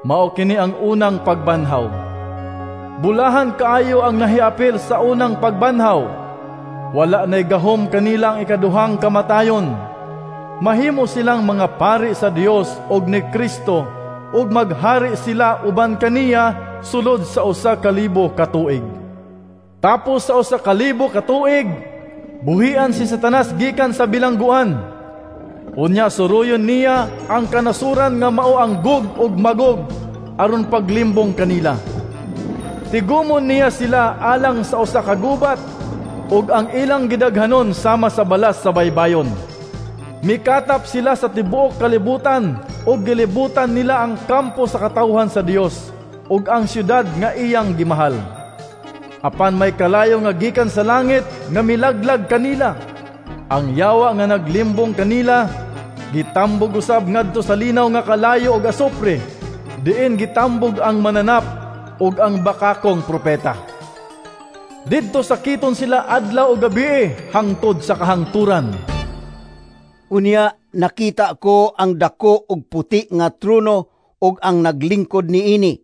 Mao kini ang unang pagbanhaw. Bulahan kaayo ang nahiapil sa unang pagbanhaw. Wala na'y gahom kanilang ikaduhang kamatayon. Mahimo silang mga pari sa Dios og ni Kristo ug maghari sila uban kaniya sulod sa 1,000 ka tuig. Tapos sa 1,000 ka tuig, buhian si Satanas gikan sa bilangguan. Unya suruyon niya ang kanasuran nga mao ang Gog ug Magog aron paglimbong kanila. Tigumon niya sila alang sa usa ka gubat ug ang ilang gidaghanon sama sa balas sa baybayon. Mikatap sila sa tibuok kalibutan ug gilibutan nila ang kampo sa katawhan sa Dios ug ang syudad nga iyang gimahal. Apan may kalayo nga gikan sa langit nga milaglag kanila. Ang yawa nga naglimbong kanila gitambog usab ngadto sa linaw nga kalayo og asupre, diin gitambog ang mananap ug ang bakakong propeta. Didto sakiton sila adlaw ug gabi hangtod sa kahangturan.
Unya nakita ko ang dako og puti nga trono ug ang naglingkod niini.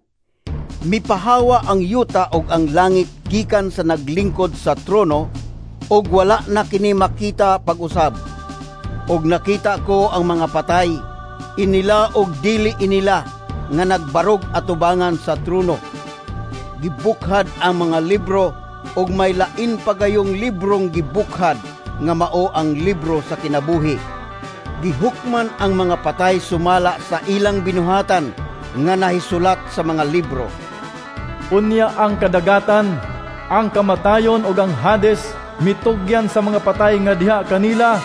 Mipahawa ang yuta ug ang langit gikan sa naglingkod sa trono ug wala na kini makita pag-usab. Ug nakita ko ang mga patay, inila og dili inila, nga nagbarog atubangan sa trono. Gibukhad ang mga libro ug may lain pagayong librong gibukhad nga mao ang libro sa kinabuhi. Gihukman ang mga patay sumala sa ilang binuhatan nga nahisulat sa mga libro.
Unya ang kadagatan, ang kamatayon ug ang Hades mitugyan sa mga patay nga diha kanila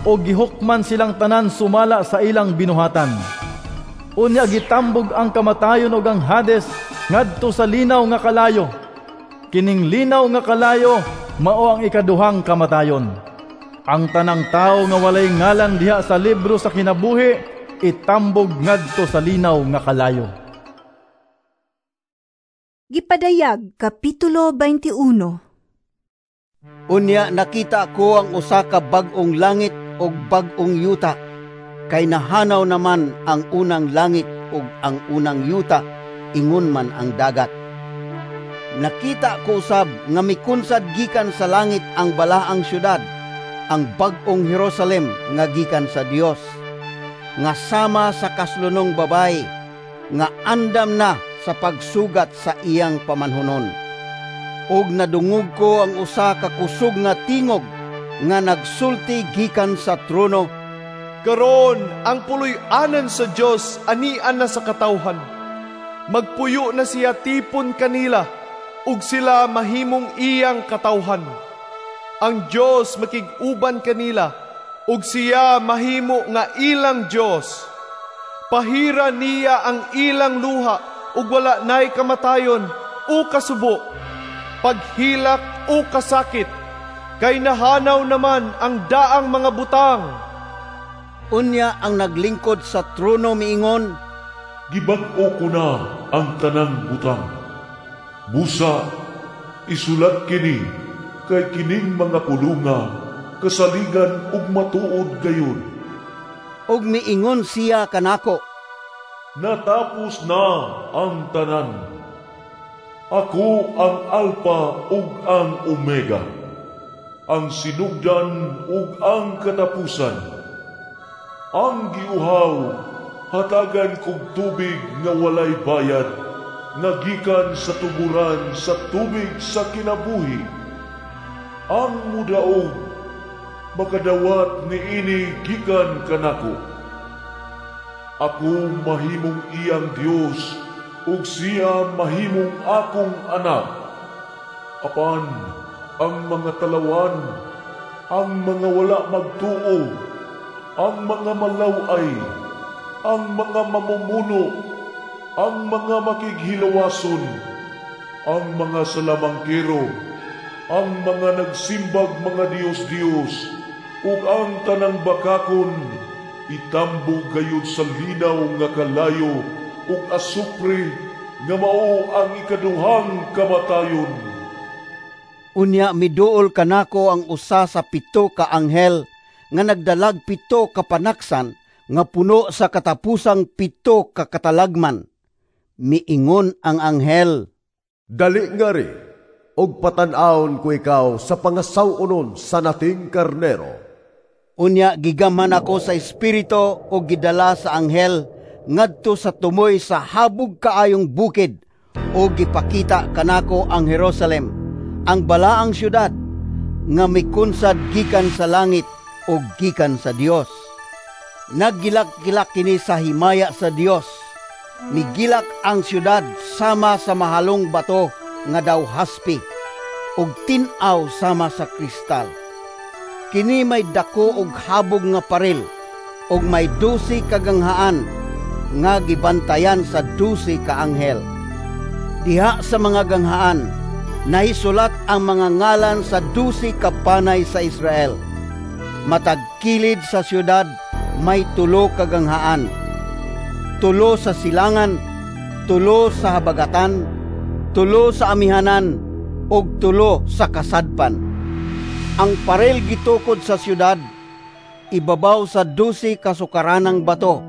o gihukman silang tanan sumala sa ilang binuhatan. Unya gitambog ang kamatayon ug ang Hades ngadto sa linaw nga kalayo. Kining linaw nga kalayo mao ang ikaduhang kamatayon. Ang tanang tawo nga walay ngalan diha sa libro sa kinabuhi itambog ngadto sa linaw nga kalayo.
Gipadayag Kapitulo 21.
Unya nakita ko ang usa ka bag-ong langit ug bag-ong yuta, kay nahanaw naman ang unang langit ug ang unang yuta, ingon man ang dagat. Nakita ko usab nga mikunsad gikan sa langit ang balaang syudad, ang bag-ong Jerusalem nga gikan sa Dios, nga sama sa kaslunong babayi nga andam na sa pagsugat sa iyang pamanhunon. Og nadungog ko ang usa ka kusog nga tingog nga nagsulti gikan sa trono,
"Karon ang puloy-anan sa Dios anian na sa katawhan. Magpuyo na siya tipon kanila, ug sila mahimong iyang katawhan. Ang Dios makig-uban kanila, ug siya mahimo nga ilang Dios. Pahira niya ang ilang luha, ug wala nay kamatayon o kasubo, paghilak o kasakit, kay nahanaw naman ang daang mga butang."
Unya ang naglingkod sa trono miingon,
"Gibag-o ko na ang tanang butang. Busa, isulat kini, kay kining mga pulunga kasaligan ug matuod gayon."
Og miingon siya kanako,
"Natapos na ang tanan. Ako ang Alpha ug ang Omega, ang sinugdan ug ang katapusan. Ang giuhaw, hatagan kog tubig nga walay bayad, nga gikan sa tuburan sa tubig sa kinabuhi. Ang mudaog, makadawat niini gikan kanako. Ako mahimong iyang Dios, ug siya mahimong akong anak. Apan ang mga talawan, ang mga wala magtuo, ang mga malaway, ang mga mamumuno, ang mga makighilawason, ang mga salamangkero, ang mga nagsimbag mga Dios-Dios, ug ang tanang bakakon, itambog gayud sa linaw nga kalayo ug asupre nga mao ang ikaduhang kamatayon."
Unya miduol kanako ang usa sa 7 ka anghel nga nagdalag 7 ka panaksan nga puno sa katapusang 7 ka katalagman. Miingon ang anghel,
"Dali ngari, og patan-awon ko ikaw sa pangasaw-onon sa nating karnero."
Unya gigamhan ako sa espiritu og gidala sa anghel ngadto sa tumoy sa habog kaayong bukid, og gipakita kanako ang Jerusalem, ang balaang syudad nga mikunsad gikan sa langit og gikan sa Dios. Naggilak-gilak kini sa himaya sa Dios. Migilak ang syudad sama sa mahalong bato nga daw haspi, ug tin-aw sama sa kristal. Kini may dako og habog nga paril, ug may 12 ka ganghaan nga gibantayan sa 12 ka anghel. Diha sa mga ganghaan nahisulat ang mga ngalan sa 12 ka panay sa Israel. Matag kilid sa syudad may 3 ka ganghaan, 3 sa silangan, 3 sa habagatan, 3 sa amihanan, ug 3 sa kasadpan. Ang paril gitukod sa syudad, ibabaw sa 12 ka sukaranang bato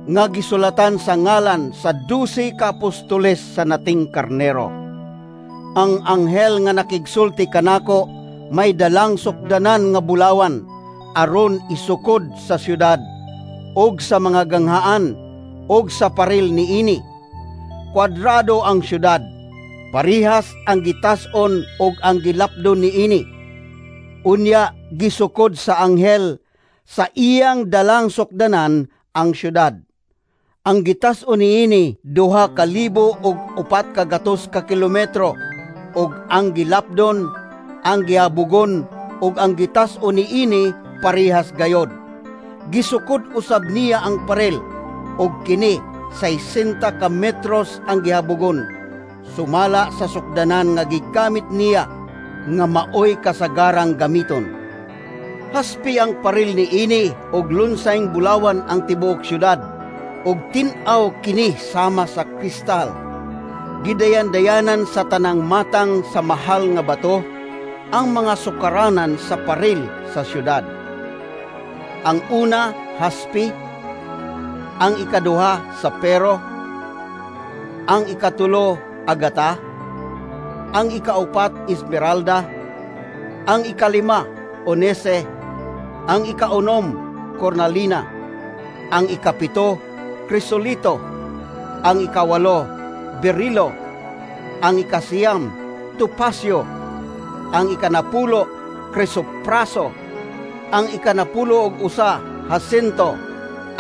nga gisulatan sa ngalan sa 12 ka apostoles sa nating karnero. Ang anghel nga nakigsulti kanako may dalang sukdanan nga bulawan aron isukod sa syudad og sa mga ganghaan og sa paril niini. Kwadrado ang syudad, parihas ang gitas-on og ang gilapdon niini. Unya gisukod sa anghel sa iyang dalang sukdanan ang syudad. Ang gitas-on niini 2,400 ka kilometro, ug ang gilapdon, ang gihabugon ug ang gitas-on niini parihas gayod. Gisukod usab niya ang paril, ug kini 60 ka metros ang gihabogon, sumala sa sukdanan nga gigamit niya nga maoy kasagarang gamiton. Haspi ang paril ni ini og lunsayng bulawan ang tibuok syudad, ug tin-aw kini sama sa kristal. Gidayan-dayanan sa tanang matang sa mahal nga bato ang mga sukaranan sa paril sa syudad. Ang una, haspi, ang ikaduha, sapero, ang ikatulo, agata, ang ikaupat, esmeralda, ang ikalima, onese, ang ikaunom, cornalina, ang ikapito, krisolito, ang ikawalo, berilo, ang ikasiyam, topasio, ang ikanapulo, krisopraso, ang 91, hasinto,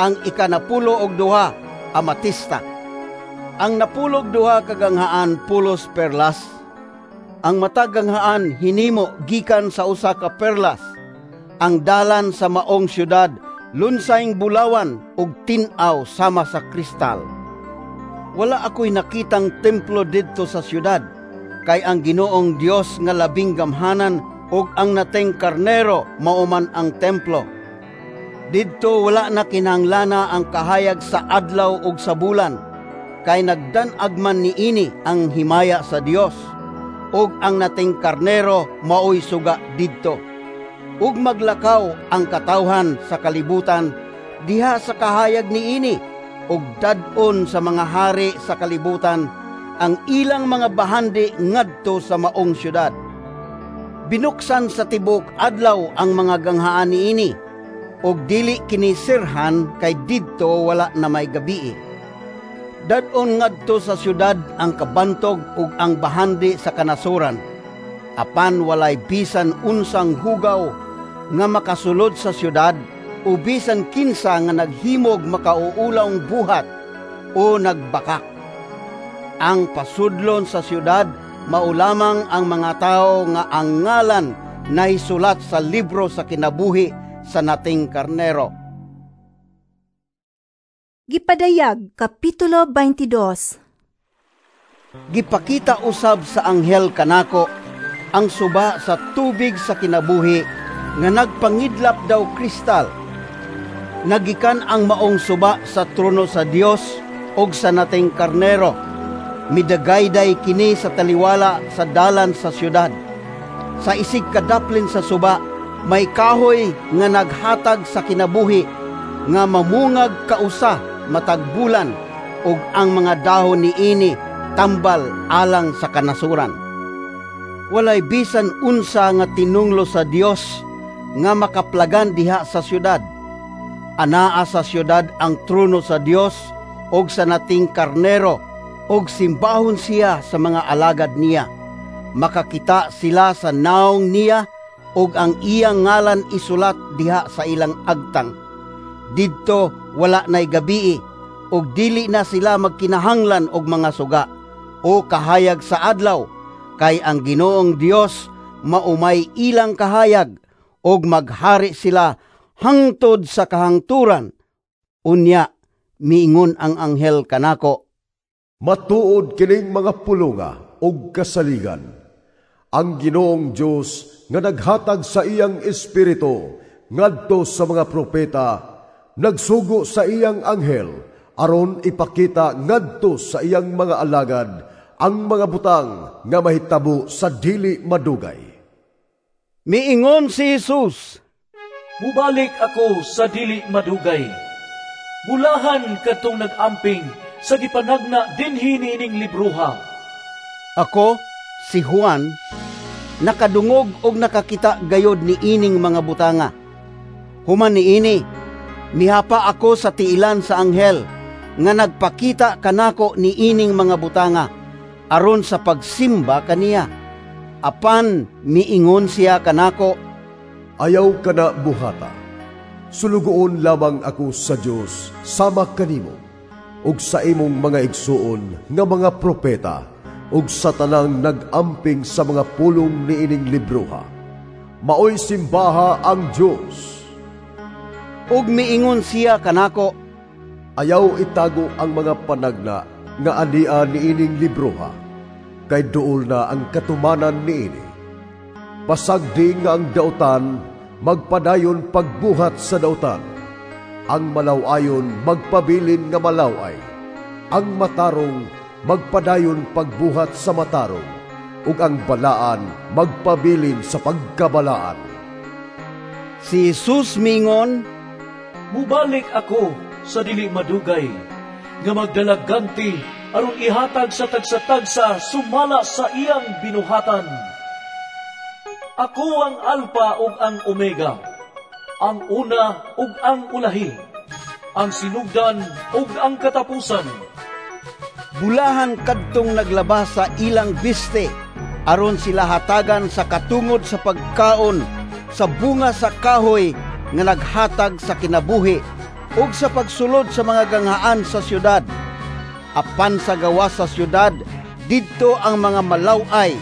ang 92, amatista. Ang 12 kaganghaan pulos perlas, ang matag ganghaan hinimo gikan sa usa ka perlas. Ang dalan sa maong syudad lunsayng bulawan ug tin-aw sama sa kristal. Wala ako'y nakitang templo didto sa syudad, kay ang Ginoong Dios nga labing gamhanan ug ang nateng karnero mao man ang templo. Didto wala na kinahanglan ang kahayag sa adlaw ug sa bulan, kay nagdan-ag man niini ang himaya sa Dios, ug ang nateng karnero maoy suga didto. Ug maglakaw ang katawhan sa kalibutan diha sa kahayag niini, ug dad-on sa mga hari sa kalibutan ang ilang mga bahandi ngadto sa maong syudad. Binuksan sa tibok adlaw ang mga ganghaan niini, ug dili kini sirhan kay didto wala na may gabii. Dad-on ngadto sa syudad ang kabantog ug ang bahandi sa kanasuran, apan walay bisan unsang hugaw nga makasulod sa syudad o bisan kinsa nga naghimog makauulawng buhat o nagbakak. Ang pasudlon sa syudad mao lamang ang mga tawo nga ang ngalan nahisulat sa libro sa kinabuhi sa nating karnero.
Gipadayag, Kapitulo 22.
Gipakita usab sa anghel kanako ang suba sa tubig sa kinabuhi nga nagpangidlap daw kristal. Nagikan ang maong suba sa trono sa Dios og sa nating karnero. Midagayday kini sa taliwala sa dalan sa syudad. Sa isig kadaplin sa suba, may kahoy nga naghatag sa kinabuhi nga mamungag kausa matag bulan, ug ang mga dahon niini tambal alang sa kanasuran. Walay bisan unsa nga tinunglo sa Dios nga makaplagan diha sa syudad. Anaa sa syudad ang trono sa Dios og sa nating karnero, og simbahon siya sa mga alagad niya. Makakita sila sa naong niya, og ang iyang ngalan isulat diha sa ilang agtang. Didto wala na'y gabii, og dili na sila magkinahanglan og mga suga o kahayag sa adlaw, kay ang Ginoong Dios maumay ilang kahayag, og maghari sila hangtod sa kahangturan. Unya miingon ang anghel kanako,
matuod kining mga pulonga og kasaligan. Ang Ginoong Dios nga naghatag sa iyang espiritu ngadto sa mga propeta, nagsugo sa iyang anghel aron ipakita ngadto sa iyang mga alagad ang mga butang nga mahitabo sa dili madugay.
Miingon si Jesus,
mubalik ako sa dili madugay. Bulahan kadtong nag-amping sa gipanagna dinhi niining libroha.
Ako, si Juan, nakadungog og nakakita gayod niining mga butanga. Human niini, mihapa ako sa tiilan sa anghel nga nagpakita kanako niining mga butanga aron sa pagsimba kaniya. Apan miingon siya kanako,
ayaw kana buhata. Sulugoon lamang ako sa Dios sama kanimo ug sa imong mga igsuon nga mga propeta ug sa tanang nag-amping sa mga pulong niining libroha. Maoy simbaha ang Dios.
Ug miingon siya kanako,
"Ayaw itago ang mga panagna nga ania niining libroha, kay duol na ang katumanan niini. Pasagdi nga ang dautan magpadayon pagbuhat sa dautan, ang malaw-ayon magpabilin nga malaw-ay, ang matarong magpadayon pagbuhat sa matarong, ug ang balaan magpabilin sa pagkabalaan."
Si Jesus mingon,
"Mubalik ako sa dili madugay, nga magdalaganti aron ihatag sa tagsa-tagsa sumala sa iyang binuhatan. Ako ang Alpha ug ang Omega, ang una ug ang ulahi, ang sinugdan ug ang katapusan."
Bulahan kadtong naglaba sa ilang biste, aron sila hatagan sa katungod sa pagkaon sa bunga sa kahoy nga naghatag sa kinabuhi ug sa pagsulod sa mga ganghaan sa syudad. Apan sa gawas sa syudad, didto ang mga malaw-ay,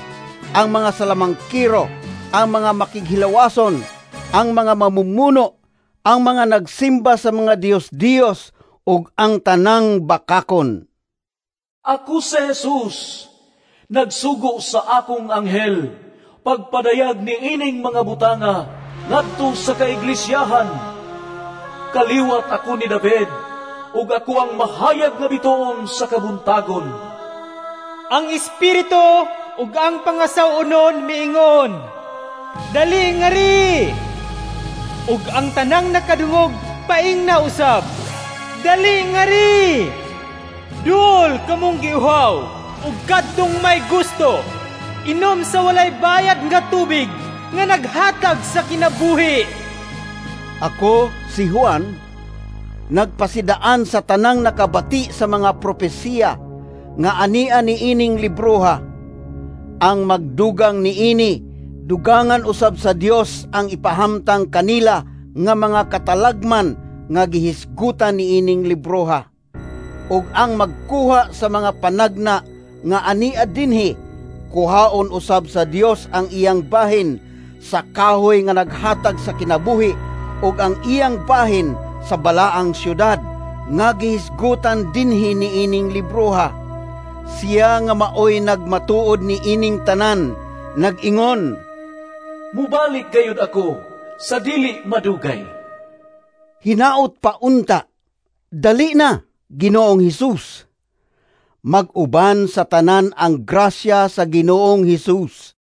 ang mga salamangkiro, ang mga makighilawason, ang mga mamumuno, ang mga nagsimba sa mga diyos-diyos, ug ang tanang bakakon.
Ako si Jesus, nagsugo sa akong anghel, pagpadayag ni ining mga butanga, ngadto sa kaiglisyahan. Kaliwat ako ni David, ug ako ang mahayag nga bituon sa kabuntagon.
Ang Espiritu ug ang pangasaw-onon miingon, "Dali ngari!" Ug ang tanang nakadungog paingna usab, "Dali ngari!" Duol kamong giuhaw ug kadtong may gusto, inom sa walay bayad nga tubig nga naghatag sa kinabuhi.
Ako, si Juan, nagpasidaan sa tanang nakabati sa mga propesiya nga ania niining libroha. Ang magdugang niini, dugangan usab sa Dios ang ipahamtang kanila nga mga katalagman nga gihisgutan niining libroha. Ug ang magkuha sa mga panagna nga ania dinhi, kuhaon usab sa Dios ang iyang bahin sa kahoy nga naghatag sa kinabuhi ug ang iyang bahin sa balaang syudad nga gihisgutan dinhi niining libroha. Siya nga maoy nagmatuod niining tanan, nag-ingon,
"Mubalik gayud ako sa dili madugay."
Hinaot pa unta, dali na, Ginoong Hesus. Mag-uban sa tanan ang grasya sa Ginoong Hesus.